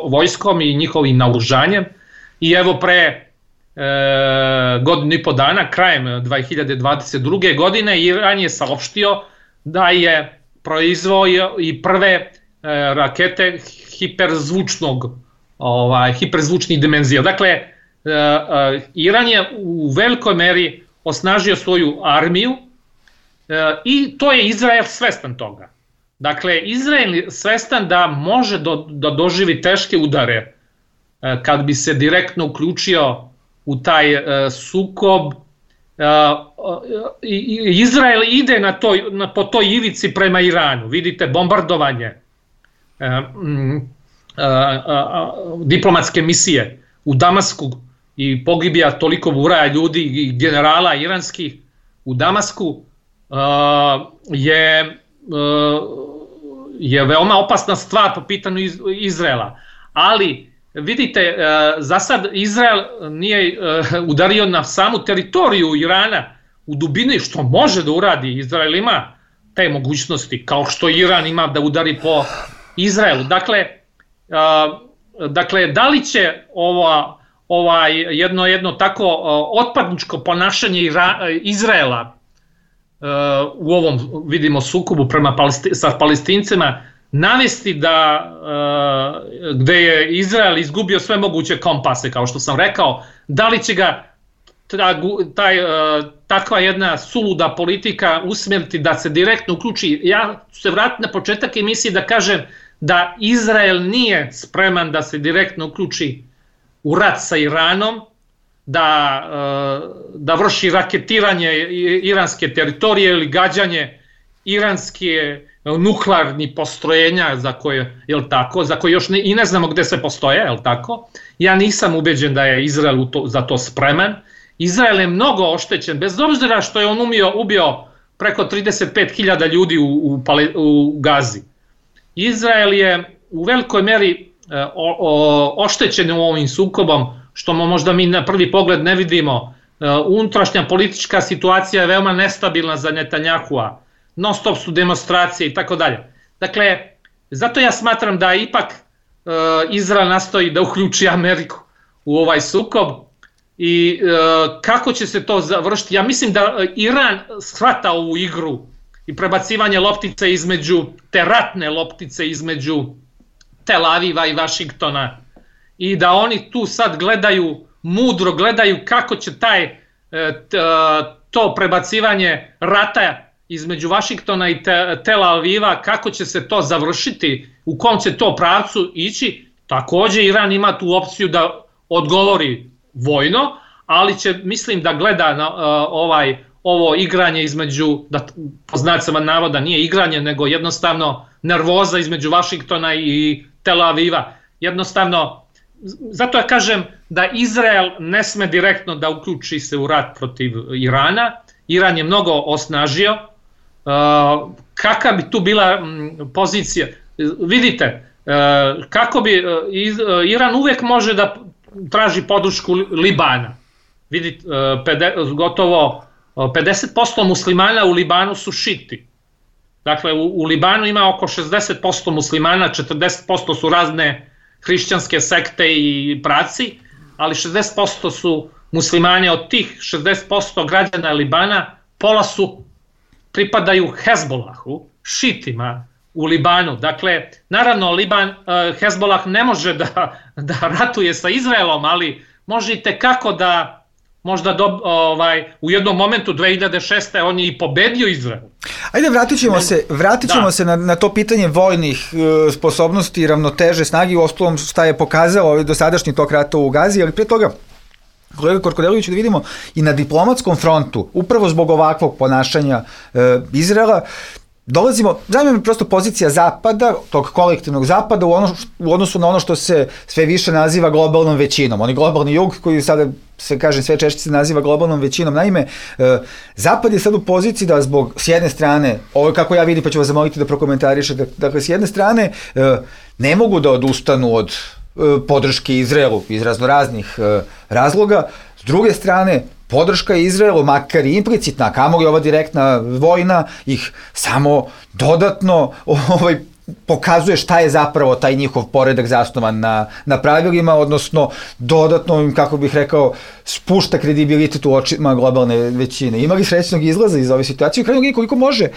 vojskom i njihovim naoružanjem. I evo pre godinu i po dana, krajem 2022. godine, Iran je saopštio da je proizveo i prve rakete hiperzvučnih dimenzija. Dakle, Iran je u velikoj meri osnažio svoju armiju i to je Izrael svestan toga. Dakle, Izrael je svestan da može da doživi teške udare kad bi se direktno uključio u taj sukob Izrael ide po toj ivici prema Iranu. Vidite, bombardovanje, diplomatske misije u Damasku i pogibija toliko buraja ljudi i generala iranskih u Damasku je veoma opasna stvar po pitanju Izraela. Ali vidite, za sad Izrael nije udario na samu teritoriju Irana u dubini, što može da uradi. Izrael ima te mogućnosti, kao što Iran ima da udari po Izraelu. Dakle, da li će jedno tako otpadničko ponašanje Izraela u ovom, vidimo, sukobu sa Palestincima navesti gde je Izrael izgubio sve moguće kompase, kao što sam rekao, da li će ga takva jedna suluda politika usmjeriti da se direktno uključi. Ja ću se vratiti na početak emisije da kažem da Izrael nije spreman da se direktno uključi u rat sa Iranom, da vrši raketiranje iranske teritorije ili gađanje iranske nuklearnih postrojenja za koje još i ne znamo gde se postoje, je li tako? Ja nisam ubeđen da je Izrael za to spreman. Izrael je mnogo oštećen, bez obzira što je on ubio preko 35.000 ljudi u Gazi. Izrael je u velikoj meri oštećen u ovim sukobom, što možda mi na prvi pogled ne vidimo. Unutrašnja politička situacija je veoma nestabilna za Netanjahua, non stop su demonstracije i tako dalje. Dakle, zato ja smatram da ipak Izrael nastoji da uključi Ameriku u ovaj sukob i kako će se to završiti. Ja mislim da Iran shvata ovu igru i prebacivanje loptice te ratne loptice između Tel Aviva i Vašingtona i da oni tu sad mudro gledaju kako će to prebacivanje rata između Vašingtona i Tel Aviva, kako će se to završiti, u kom će to pravcu ići. Takođe Iran ima tu opciju da odgovori vojno, ali će, mislim, da gleda na ovo igranje između, po znacima navoda nije igranje, nego jednostavno nervoza između Vašingtona i Tel Aviva. Jednostavno, zato ja kažem da Izrael ne sme direktno da uključi se u rat protiv Irana. Iran je mnogo osnažio. Kakva bi tu bila pozicija? Vidite, kako bi Iran uvek može da traži podršku Libana. Vidite, gotovo 50% muslimana u Libanu su šiti. Dakle, u Libanu ima oko 60% muslimana, 40% su razne hrišćanske sekte i praci, ali 60% su muslimani. Od tih 60% građana Libana, pola pripadaju Hezbolahu, šitima u Libanu. Dakle, naravno, Hezbolah ne može da ratuje sa Izraelom, ali možete kako da možda u jednom momentu 2006. on je i pobedio Izrael. Ajde, vratit ćemo se na to pitanje vojnih sposobnosti i ravnoteže snagi, u ostalom šta je pokazao dosadašnji tok rata u Gazi, ali pre toga, kolega Korkodelić, da vidimo i na diplomatskom frontu, upravo zbog ovakvog ponašanja Izraela, dolazimo, zanima me prosto pozicija Zapada, tog kolektivnog Zapada u odnosu na ono što se sve više naziva globalnom većinom. Oni globalni jug koji sada se kaže sve češće se naziva globalnom većinom. Naime, Zapad je sad u poziciji da zbog, s jedne strane, ovo kako ja vidim pa ću vas zamoliti da prokomentarišete, dakle s jedne strane ne mogu da odustanu od podrške Izraelu iz raznoraznih razloga, s druge strane podrška Izraelu, makar i implicitna, kamoli ova direktna vojna, ih samo dodatno pokazuje šta je zapravo taj njihov poredak zasnovan na pravilima, odnosno dodatno im, kako bih rekao, spušta kredibilitet u očima globalne većine. Ima li srećnog izlaza iz ove situacije? U krajnjoj liniji, koliko može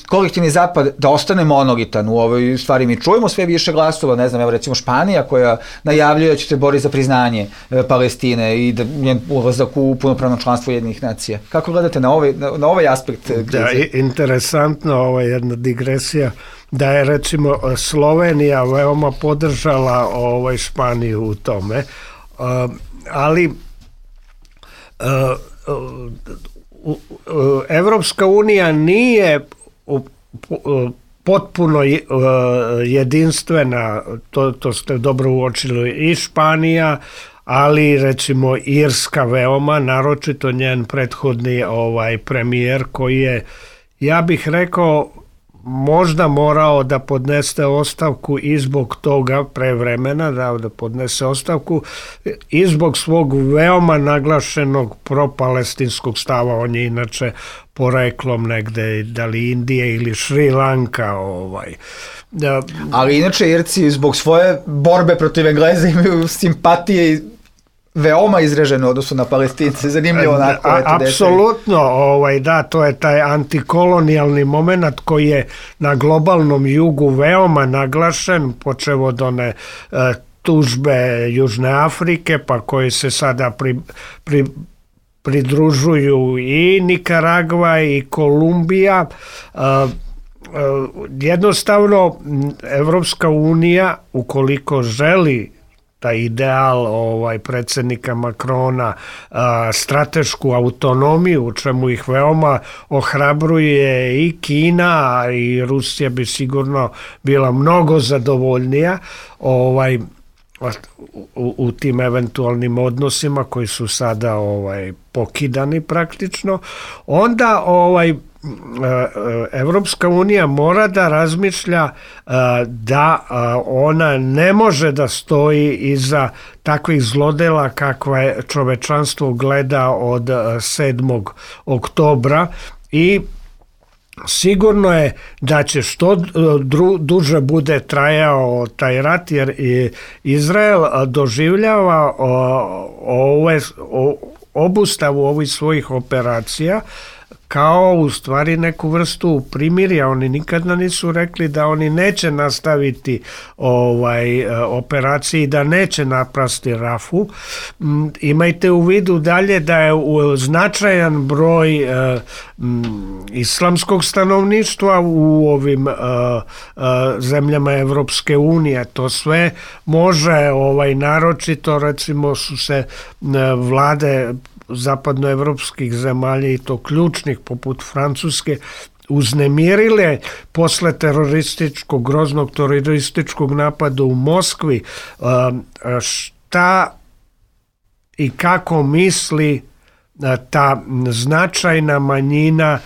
kolektivni Zapad da ostane monolitan u ovoj stvari? Mi čujemo sve više glasova, ne znam, evo recimo Španija koja najavljuje da će se boriti za priznanje Palestine i da njen ulazak u punopravno članstvo Ujedinjenih nacija. Kako gledate na ovaj aspekt krize? Da, interesantno, jedna digresija, da je recimo Slovenija veoma podržala Španiju u tome, ali Evropska unija nije potpuno jedinstvena, to ste dobro uočili, i Španija, ali recimo Irska veoma, naročito njen prethodni premijer koji je, ja bih rekao, možda morao da podnese ostavku i zbog toga pre vremena, da podnese ostavku i zbog svog veoma naglašenog propalestinskog stava. On je inače poreklom negde, da li Indije ili Šri Lanka. Ali inače Irci zbog svoje borbe protiv Engleza imaju simpatije i veoma izražene u odnosu na Palestince, zanimljivo onako. Apsolutno, da, to je taj antikolonijalni moment koji je na globalnom jugu veoma naglašen, počev od one tužbe Južne Afrike, pa koji se sada pridružuju i Nikaragva i Kolumbija. Jednostavno, Evropska unija, ukoliko želi taj ideal predsjednika Makrona, stratešku autonomiju, u čemu ih veoma ohrabruje i Kina, i Rusija bi sigurno bila mnogo zadovoljnija u tim eventualnim odnosima koji su sada pokidani praktično, onda Evropska unija mora da razmišlja da ona ne može da stoji iza takvih zlodela kakva je čovečanstvo gleda od 7. oktobra i sigurno je da će što duže bude trajao taj rat, jer Izrael doživljava obustavu ovih svojih operacija kao u stvari neku vrstu primirja. Oni nikada nisu rekli da oni neće nastaviti operaciji, da neće napasti Rafu. Imajte u vidu dalje da je značajan broj islamskog stanovništva u ovim zemljama Evropske unije. To sve može, naročito recimo su se vlade zapadnoevropskih zemalja i to ključnih poput Francuske uznemirile posle groznog terorističkog napada u Moskvi. Šta i kako misli ta značajna manjina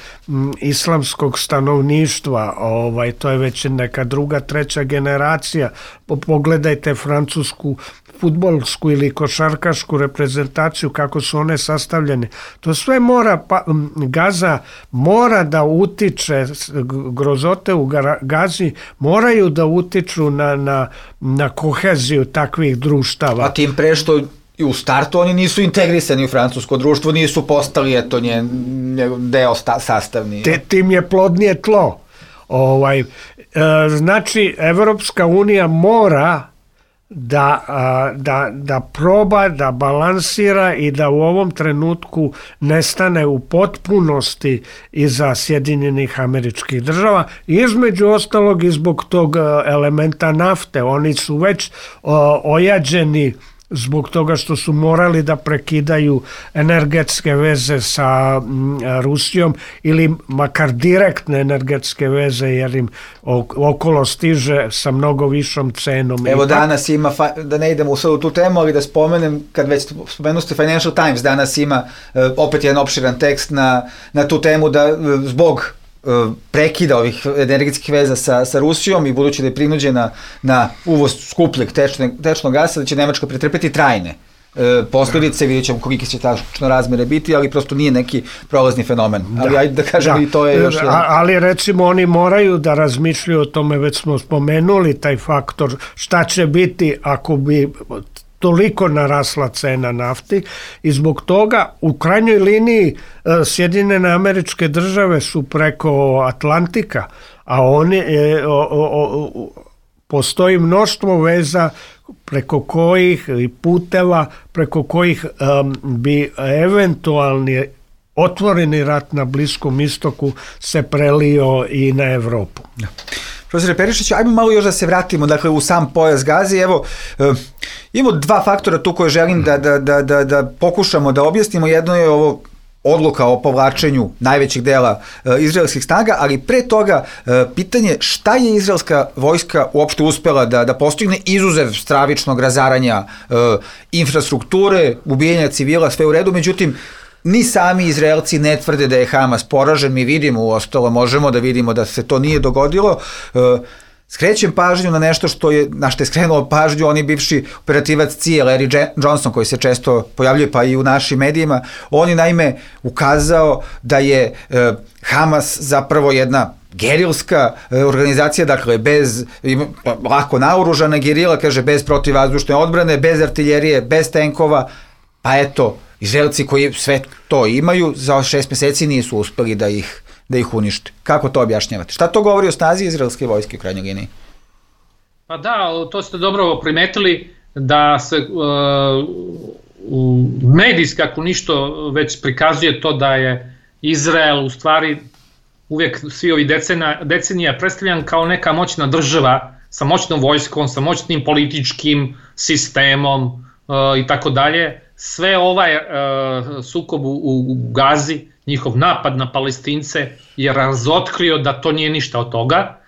islamskog stanovništva, to je već neka druga, treća generacija. Pogledajte francusku fudbalsku ili košarkašku reprezentaciju, kako su one sastavljene. To sve Gaza mora da utiče, grozote u Gazi moraju da utiču na koheziju takvih društava. A tim pre što i u startu oni nisu integrisani u francusko društvo, nisu postali deo sastavni. Tim je plodnije tlo. Znači, Evropska unija mora da proba, da balansira i da u ovom trenutku nestane u potpunosti iza Sjedinjenih Američkih Država, između ostalog i zbog tog elementa nafte. Oni su već ojađeni zbog toga što su morali da prekidaju energetske veze sa Rusijom ili makar direktne energetske veze, jer im okolo stiže sa mnogo višom cenom. Evo danas ima, da ne idemo u tu temu, ali da spomenem, kad već spomenuste Financial Times, danas ima opet jedan opširan tekst na tu temu da zbog prekida ovih energetskih veza sa Rusijom i budući da je prinuđena na uvoz skupljeg tečnog gasa, da će Nemačka pretrpeti trajne posljedice, vidjet ćemo kolike će tačno razmere biti, ali prosto nije neki prolazni fenomen. Ali ajde da kažem i to je još... Ali recimo oni moraju da razmišljaju o tome, već smo spomenuli taj faktor, šta će biti ako bi toliko narasla cena nafti, i zbog toga u krajnjoj liniji Sjedinjene Američke Države su preko Atlantika, a oni postoji mnoštvo veza preko kojih i puteva preko kojih bi eventualni otvoreni rat na Bliskom istoku se prelio i na Evropu. Profesore Perišiću, ajmo malo još da se vratimo u sam pojas Gaze. Evo, imamo dva faktora tu koje želim da pokušamo da objasnimo. Jedno je ovo odluka o povlačenju najvećeg dela izraelskih snaga, ali pre toga pitanje šta je izraelska vojska uopšte uspela da postigne izuzev stravičnog razaranja infrastrukture, ubijanja civila, sve u redu, međutim ni sami Izraelci ne tvrde da je Hamas poražen, mi vidimo uostalo, možemo da vidimo da se to nije dogodilo. Skrećem pažnju na nešto na što je skrenuo pažnju oni bivši operativac CIA, Larry Johnson, koji se često pojavljuje pa i u našim medijima. On je naime ukazao da je Hamas zapravo jedna gerilska organizacija, dakle bez lako naoružana gerila, kaže bez protivvazdušne odbrane, bez artiljerije, bez tenkova, pa eto, Izraelci koji sve to imaju za 6 meseci nisu uspeli da ih unište. Kako to objašnjavate? Šta to govori o snazi izraelske vojske u krajnjoj liniji? Pa da, to ste dobro primetili da se medijski ako ništo već prikazuje to da je Izrael u stvari uvijek svi ovi decenija predstavljan kao neka moćna država sa moćnom vojskom, sa moćnim političkim sistemom i tako dalje. Sve ovaj sukob u Gazi, njihov napad na Palestince je razotkrio da to nije ništa od toga.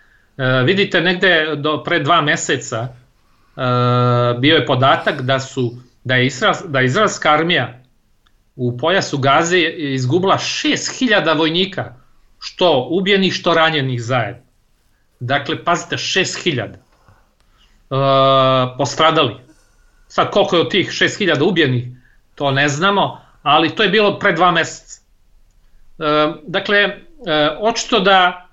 Vidite, negde pre 2 meseca bio je podatak da je izraelska armija u pojasu Gaze izgubila 6.000 vojnika, što ubijenih, što ranjenih zajedno. Dakle, pazite, 6.000 postradali. Sad koliko je od tih 6.000 ubijenih, to ne znamo, ali to je bilo pre 2 meseca. Dakle, očito da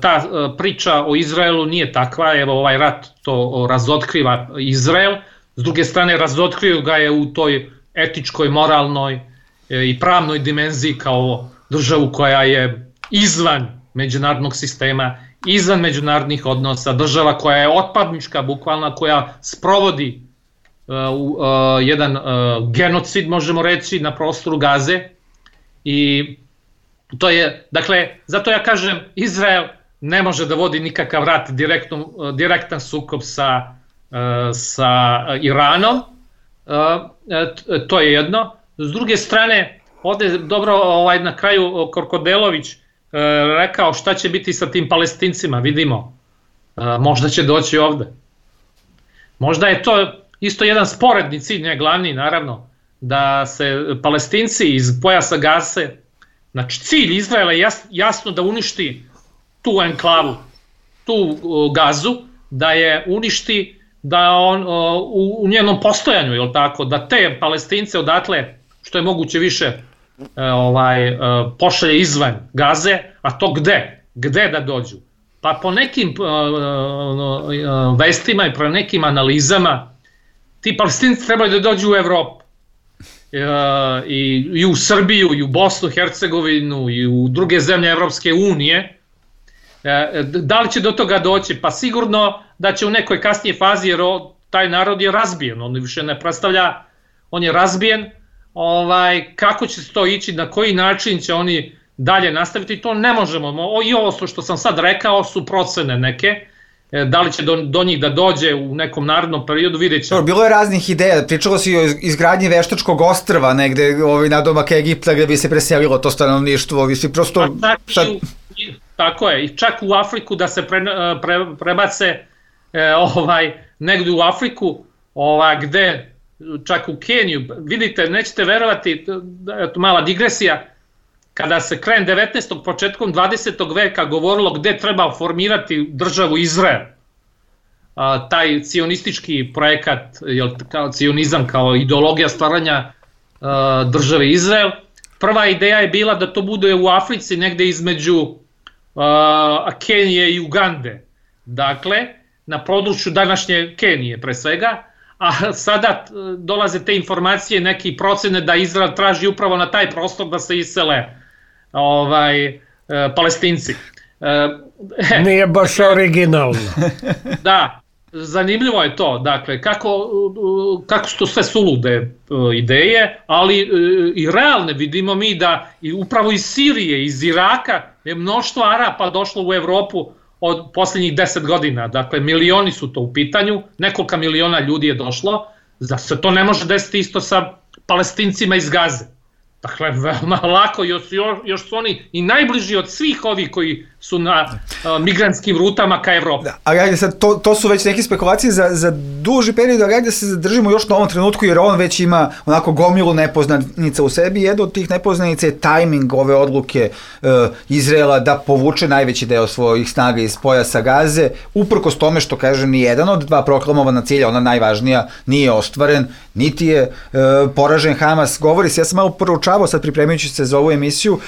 ta priča o Izraelu nije takva, evo ovaj rat to razotkriva Izrael, s druge strane razotkrio ga je u toj etičkoj, moralnoj i pravnoj dimenziji kao državu koja je izvan međunarodnog sistema, izvan međunarodnih odnosa, država koja je otpadnička bukvalno, koja sprovodi jedan genocid, možemo reći, na prostoru Gaze. I to je, dakle, zato ja kažem, Izrael ne može da vodi nikakav rat, direktan sukob sa Iranom, to je jedno. S druge strane, ovde je dobro na kraju Korkodelović rekao šta će biti sa tim Palestincima, vidimo, možda će doći ovde. Možda je to isto jedan sporedni cilj, ne glavni naravno, da se Palestinci iz pojasa Gaze, znači cilj Izraela je jasno da uništi tu enklavu, tu Gazu, da je uništi, da on u njenom postojanju, jel tako, da te Palestince odatle što je moguće više pošalje izvan Gaze, a to gde da dođu? Pa po nekim vestima i po nekim analizama ti Palestinci trebaju da dođu u Evropu i u Srbiju i u Bosnu, Hercegovinu i u druge zemlje Evropske unije. Da li će do toga doći? Pa sigurno da će u nekoj kasnije fazi, jer taj narod je razbijen, on više ne predstavlja, on je razbijen. Kako će se to ići, na koji način će oni dalje nastaviti, to ne možemo. I ovo što sam sad rekao su procene neke, da li će do njih da dođe u nekom narednom periodu, vidjet ćemo. Bilo je raznih ideja, pričalo se i o izgradnji veštačkog ostrva negde nadomak Egipta gde bi se preselilo to stanovništvo, prosto... Tako je, i čak u Afriku da se prebace negde u Afriku, gde čak u Keniju, vidite, nećete verovati, mala digresija, kada se krajem 19. početkom 20. veka govorilo gde treba formirati državu Izrael, taj cionistički projekat, cionizam kao ideologija stvaranja države Izrael, prva ideja je bila da to bude u Africi negde između Kenije i Ugande, dakle na području današnje Kenije pre svega, a sada dolaze te informacije, neki procene da Izrael traži upravo na taj prostor da se isele Palestinci. Nije baš originalno. Da, zanimljivo je to, dakle, kako su to sve sulude ideje, ali i realne. Vidimo mi da upravo iz Sirije, iz Iraka je mnoštvo Arapa došlo u Evropu od posljednjih 10 godina, dakle milioni su to u pitanju, nekolika miliona ljudi je došlo, da se to ne može desiti isto sa Palestincima iz Gaze. Dakle, veoma lako, još su oni i najbliži od svih ovih koji su na migrantskim rutama ka Evropi. Da, ali ajde sad, to su već neke spekulacije za duži period, ali ajde se zadržimo još na ovom trenutku, jer on već ima onako gomilu nepoznanica u sebi. Jedna od tih nepoznanica je tajming ove odluke Izraela da povuče najveći deo svojih snaga iz pojasa Gaze, uprkos tome što, kažem, ni jedan od dva proklamovana cilja, ona najvažnija, nije ostvaren, niti je poražen Hamas. Govori se, ja sam malo proučavao sad pripremajući se za ovu emisiju,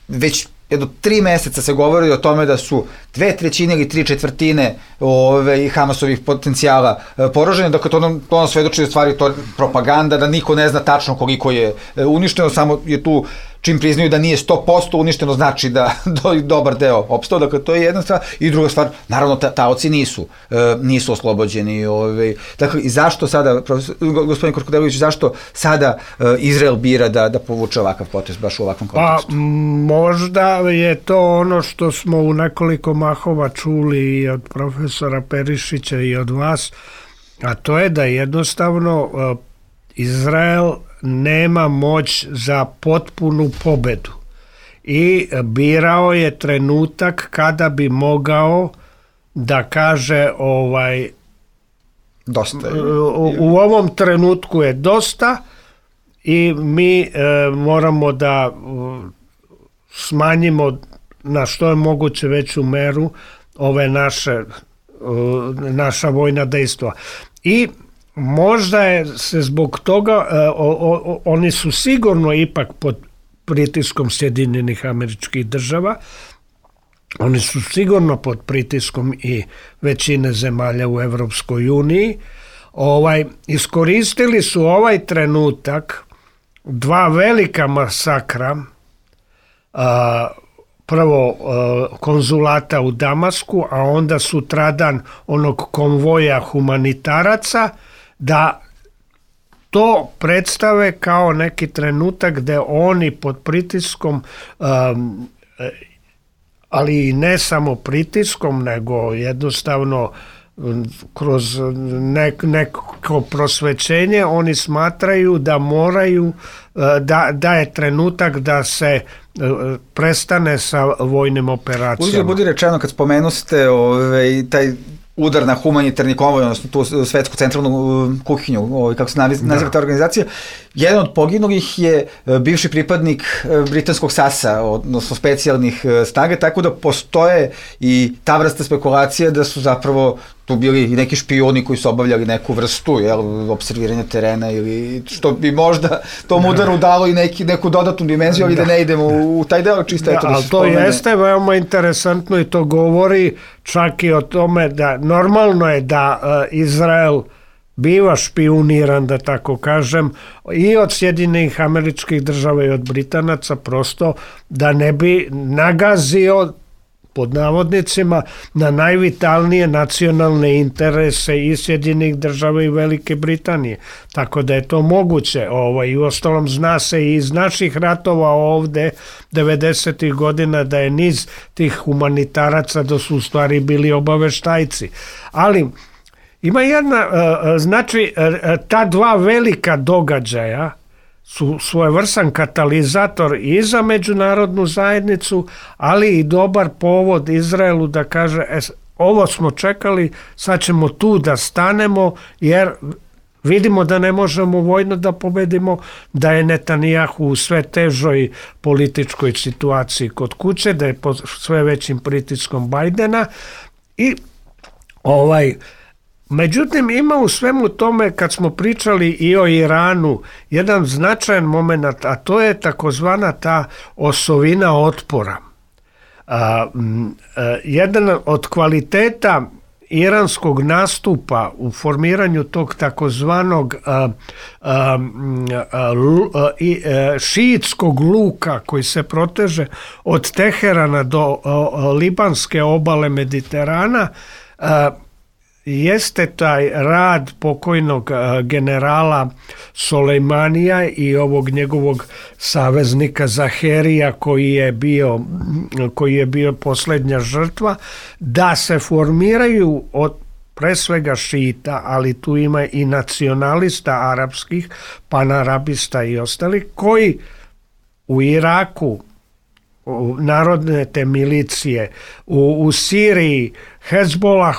već jedno 3 meseca se govori o tome da su 2/3 ili 3/4 Hamasovih potencijala poražene, dakle to nam svedoči u stvari to propaganda, da niko ne zna tačno koliko je uništeno, samo je tu čim priznaju da nije 100% uništeno, znači da dobar deo opstao, dakle to je jedna stvar. I druga stvar, naravno taoci nisu oslobođeni. Dakle, i zašto sada, gospodin Korkudelović, zašto sada Izrael bira da povuče ovakav potez baš u ovakvom kontekstu? Pa možda je to ono što smo u nekoliko mahova čuli i od profesora Perišića i od vas, a to je da jednostavno Izrael nema moć za potpunu pobedu i birao je trenutak kada bi mogao da kaže dosta. U ovom trenutku je dosta i mi moramo da smanjimo na što je moguće veću meru ove naša vojna dejstva. I možda je se zbog toga, oni su sigurno ipak pod pritiskom Sjedinjenih Američkih Država, oni su sigurno pod pritiskom i većine zemalja u Evropskoj uniji. Iskoristili su ovaj trenutak dva velika masakra, prvo konzulata u Damasku, a onda sutradan onog konvoja humanitaraca, da to predstave kao neki trenutak gde oni pod pritiskom, ali i ne samo pritiskom, nego jednostavno kroz neko prosvećenje, oni smatraju da moraju, da je trenutak da se prestane sa vojnim operacijama. Uzgled budi rečeno, kad spomenuste taj udar na humanitarni konvoj, odnosno tu svetsku centralnu kuhinju, kako se naziva ta organizacija, jedan od poginulih je bivši pripadnik britanskog SAS-a, odnosno specijalnih snaga, tako da postoje i ta vrsta spekulacija da su zapravo tu bili i neki špijuni koji su obavljali neku vrstu observiranja terena, ili što bi možda tom udaru dalo i neku dodatnu dimenziju, ali da ne idemo u taj deo, čisto eto da se spomene. Ali to jeste veoma interesantno i to govori čak i o tome da normalno je da Izrael biva špijuniran, da tako kažem, i od Sjedinjenih Američkih Država i od Britanaca, prosto da ne bi nagazio, pod navodnicima, na najvitalnije nacionalne interese i Sjedinjenih Država i Velike Britanije. Tako da je to moguće. I uostalom zna se i iz naših ratova ovde 90. godina da je niz tih humanitaraca da su u stvari bili obaveštajci. Ali ima jedna, znači, ta dva velika događaja su svojevrstan katalizator i za međunarodnu zajednicu, ali i dobar povod Izraelu da kaže, ovo smo čekali, sad ćemo tu da stanemo, jer vidimo da ne možemo vojno da pobedimo, da je Netanjahu u sve težoj političkoj situaciji kod kuće, da je pod sve većim pritiskom Bajdena i međutim, ima u svemu tome, kad smo pričali i o Iranu, jedan značajan moment, a to je takozvana ta osovina otpora. Jedan od kvaliteta iranskog nastupa u formiranju tog takozvanog šiitskog luka koji se proteže od Teherana do libanske obale Mediterana, jeste taj rad pokojnog generala Solejmanija i ovog njegovog saveznika Zaherija koji je bio posljednja žrtva, da se formiraju od pre svega šita, ali tu ima i nacionalista arapskih, panarabista i ostali, koji u Iraku, narodne te milicije, u Siriji, Hezbolah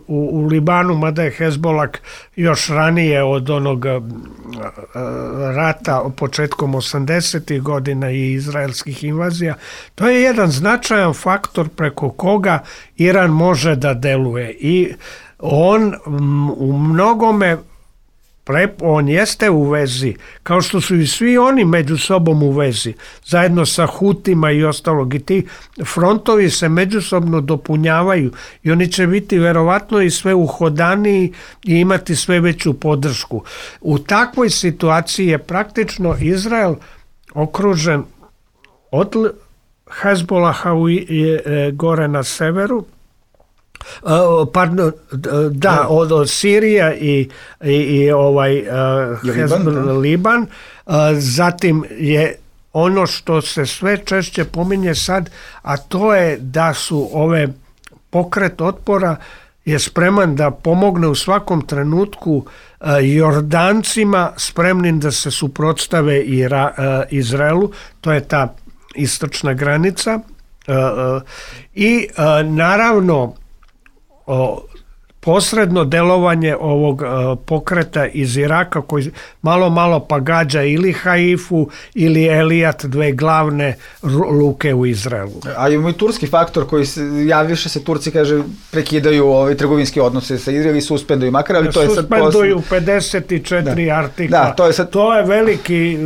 u Libanu, mada je Hezbolah još ranije od onog rata početkom 80. godina i izraelskih invazija, to je jedan značajan faktor preko koga Iran može da deluje i on u mnogome on jeste u vezi, kao što su i svi oni među sobom u vezi, zajedno sa Hutima i ostalog. I ti frontovi se međusobno dopunjavaju i oni će biti verovatno i sve uhodaniji i imati sve veću podršku. U takvoj situaciji je praktično Izrael okružen od Hezbolaha gore na severu, od Sirija i Liban. Zatim je ono što se sve češće pominje sad, a to je da su ove pokret otpora je spreman da pomogne u svakom trenutku Jordancima spremnim da se suprotstave Izraelu. To je ta istočna granica. I naravno posredno delovanje ovog pokreta iz Iraka koji malo pa gađa ili Haifu ili Elijat, dve glavne luke u Izraelu. A imamo i turski faktor koji javlja se, Turci kaže prekidaju trgovinske odnose sa Izraelom i suspenduju makar, ali to je sad suspenduju 54 artikla. To je veliki,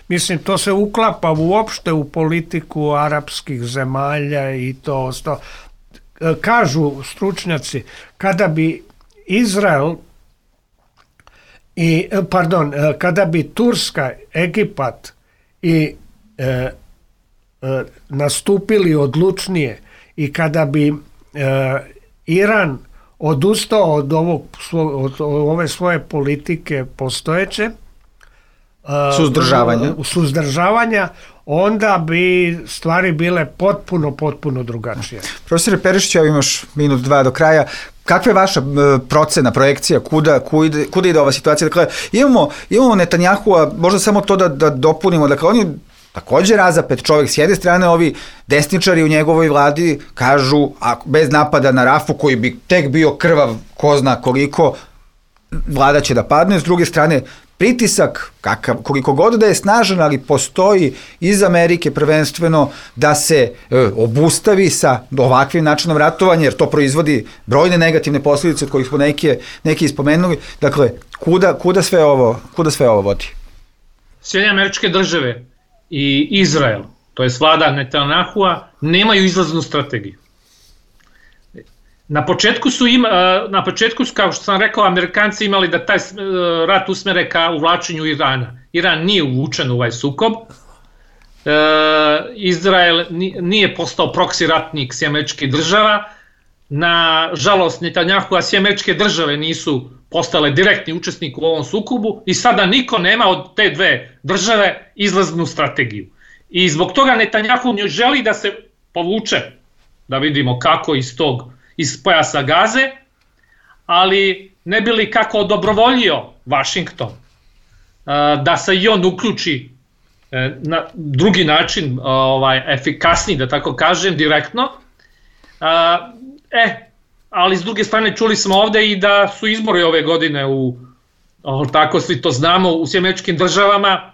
mislim, to se uklapa uopšte u politiku arapskih zemalja i to kažu stručnjaci, kada bi kada bi Turska, Egipat i nastupili odlučnije i kada bi Iran odustao od ove svoje politike postojeće suzdržavanja, onda bi stvari bile potpuno drugačije. Profesore Perišić, ja imaš minut, dva do kraja. Kakva je vaša procena, projekcija, kuda ide ova situacija? Dakle, imamo Netanjahua, možda samo to da dopunimo, dakle, on je također razapet čovjek, s jedne strane ovi desničari u njegovoj vladi kažu, bez napada na Rafu, koji bi tek bio krvav, ko zna koliko, vlada će da padne, s druge strane, pritisak, koliko god da je snažan, ali postoji iz Amerike prvenstveno da se obustavi sa ovakvim načinom ratovanja, jer to proizvodi brojne negativne posljedice od kojih smo neki ispomenuli. Dakle, kuda sve ovo vodi? Sjedinjene Američke Države i Izrael, to je vlada Netanjahua, nemaju izlaznu strategiju. Na početku su, kao što sam rekao, Amerikanci imali da taj rat usmere ka uvlačenju Irana. Iran nije uvučen u ovaj sukob. Izrael nije postao proksi ratnik Sjedinjenih Američkih Država. Na žalost Netanjahua, Sjedinjene Američke Države nisu postale direktni učesnik u ovom sukobu i sada niko nema od te dve države izlaznu strategiju. I zbog toga Netanjahu želi da se povuče, da vidimo kako iz pojasa Gaze, ali ne bi li kako odobrovoljio Vašington da se i on uključi na drugi način, efikasniji, da tako kažem, direktno. Ali s druge strane čuli smo ovde i da su izbori ove godine tako svi to znamo, u Sjedinjenim Američkim Državama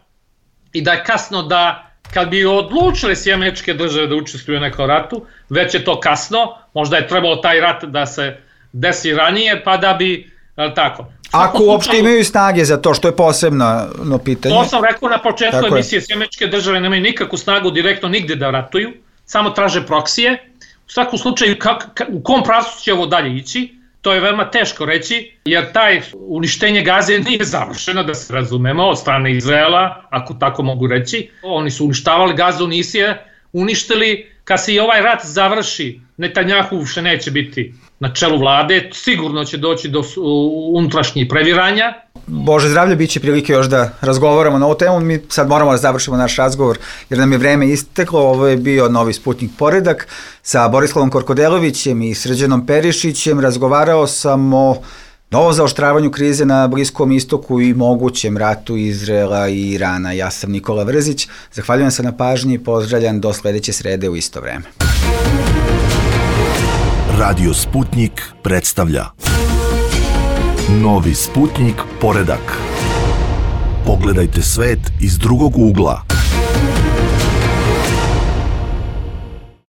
i da je kasno da kad bi odlučile Sjedinjene Američke Države da učestvuju u nekom ratu, već je to kasno, možda je trebalo taj rat da se desi ranije, pa da bi, tako. Ako uopšte imaju snage za to, što je posebno pitanje. To sam rekao na početku emisije, Sjedinjene Američke Države nemaju nikakvu snagu direktno nigde da ratuju, samo traže proksije. U svakom slučaju, u kom pravcu će ovo dalje ići, to je veoma teško reći, jer taj uništenje Gaze nije završeno, da se razumemo, od strane Izraela, ako tako mogu reći. Oni su uništavali Gazu, nisu je uništili. Kad se i ovaj rat završi, Netanjahu više neće biti na čelu vlade, sigurno će doći do unutrašnjih previranja. Bože zdravlje, bit će prilike još da razgovaramo na ovu temu. Mi sad moramo da završimo naš razgovor jer nam je vreme isteklo. Ovo je bio Novi Sputnik Poredak sa Borislavom Korkodelovićem i Srđanom Perišićem. Razgovarao sam o Novo zaoštravanju krize na Bliskom istoku i mogućem ratu Izraela i Irana. Ja sam Nikola Vrzić, zahvaljujem se na pažnji i pozdravljam do sledeće srede u isto vreme. Radio Sputnik predstavlja Novi Sputnik poredak. Pogledajte svet iz drugog ugla.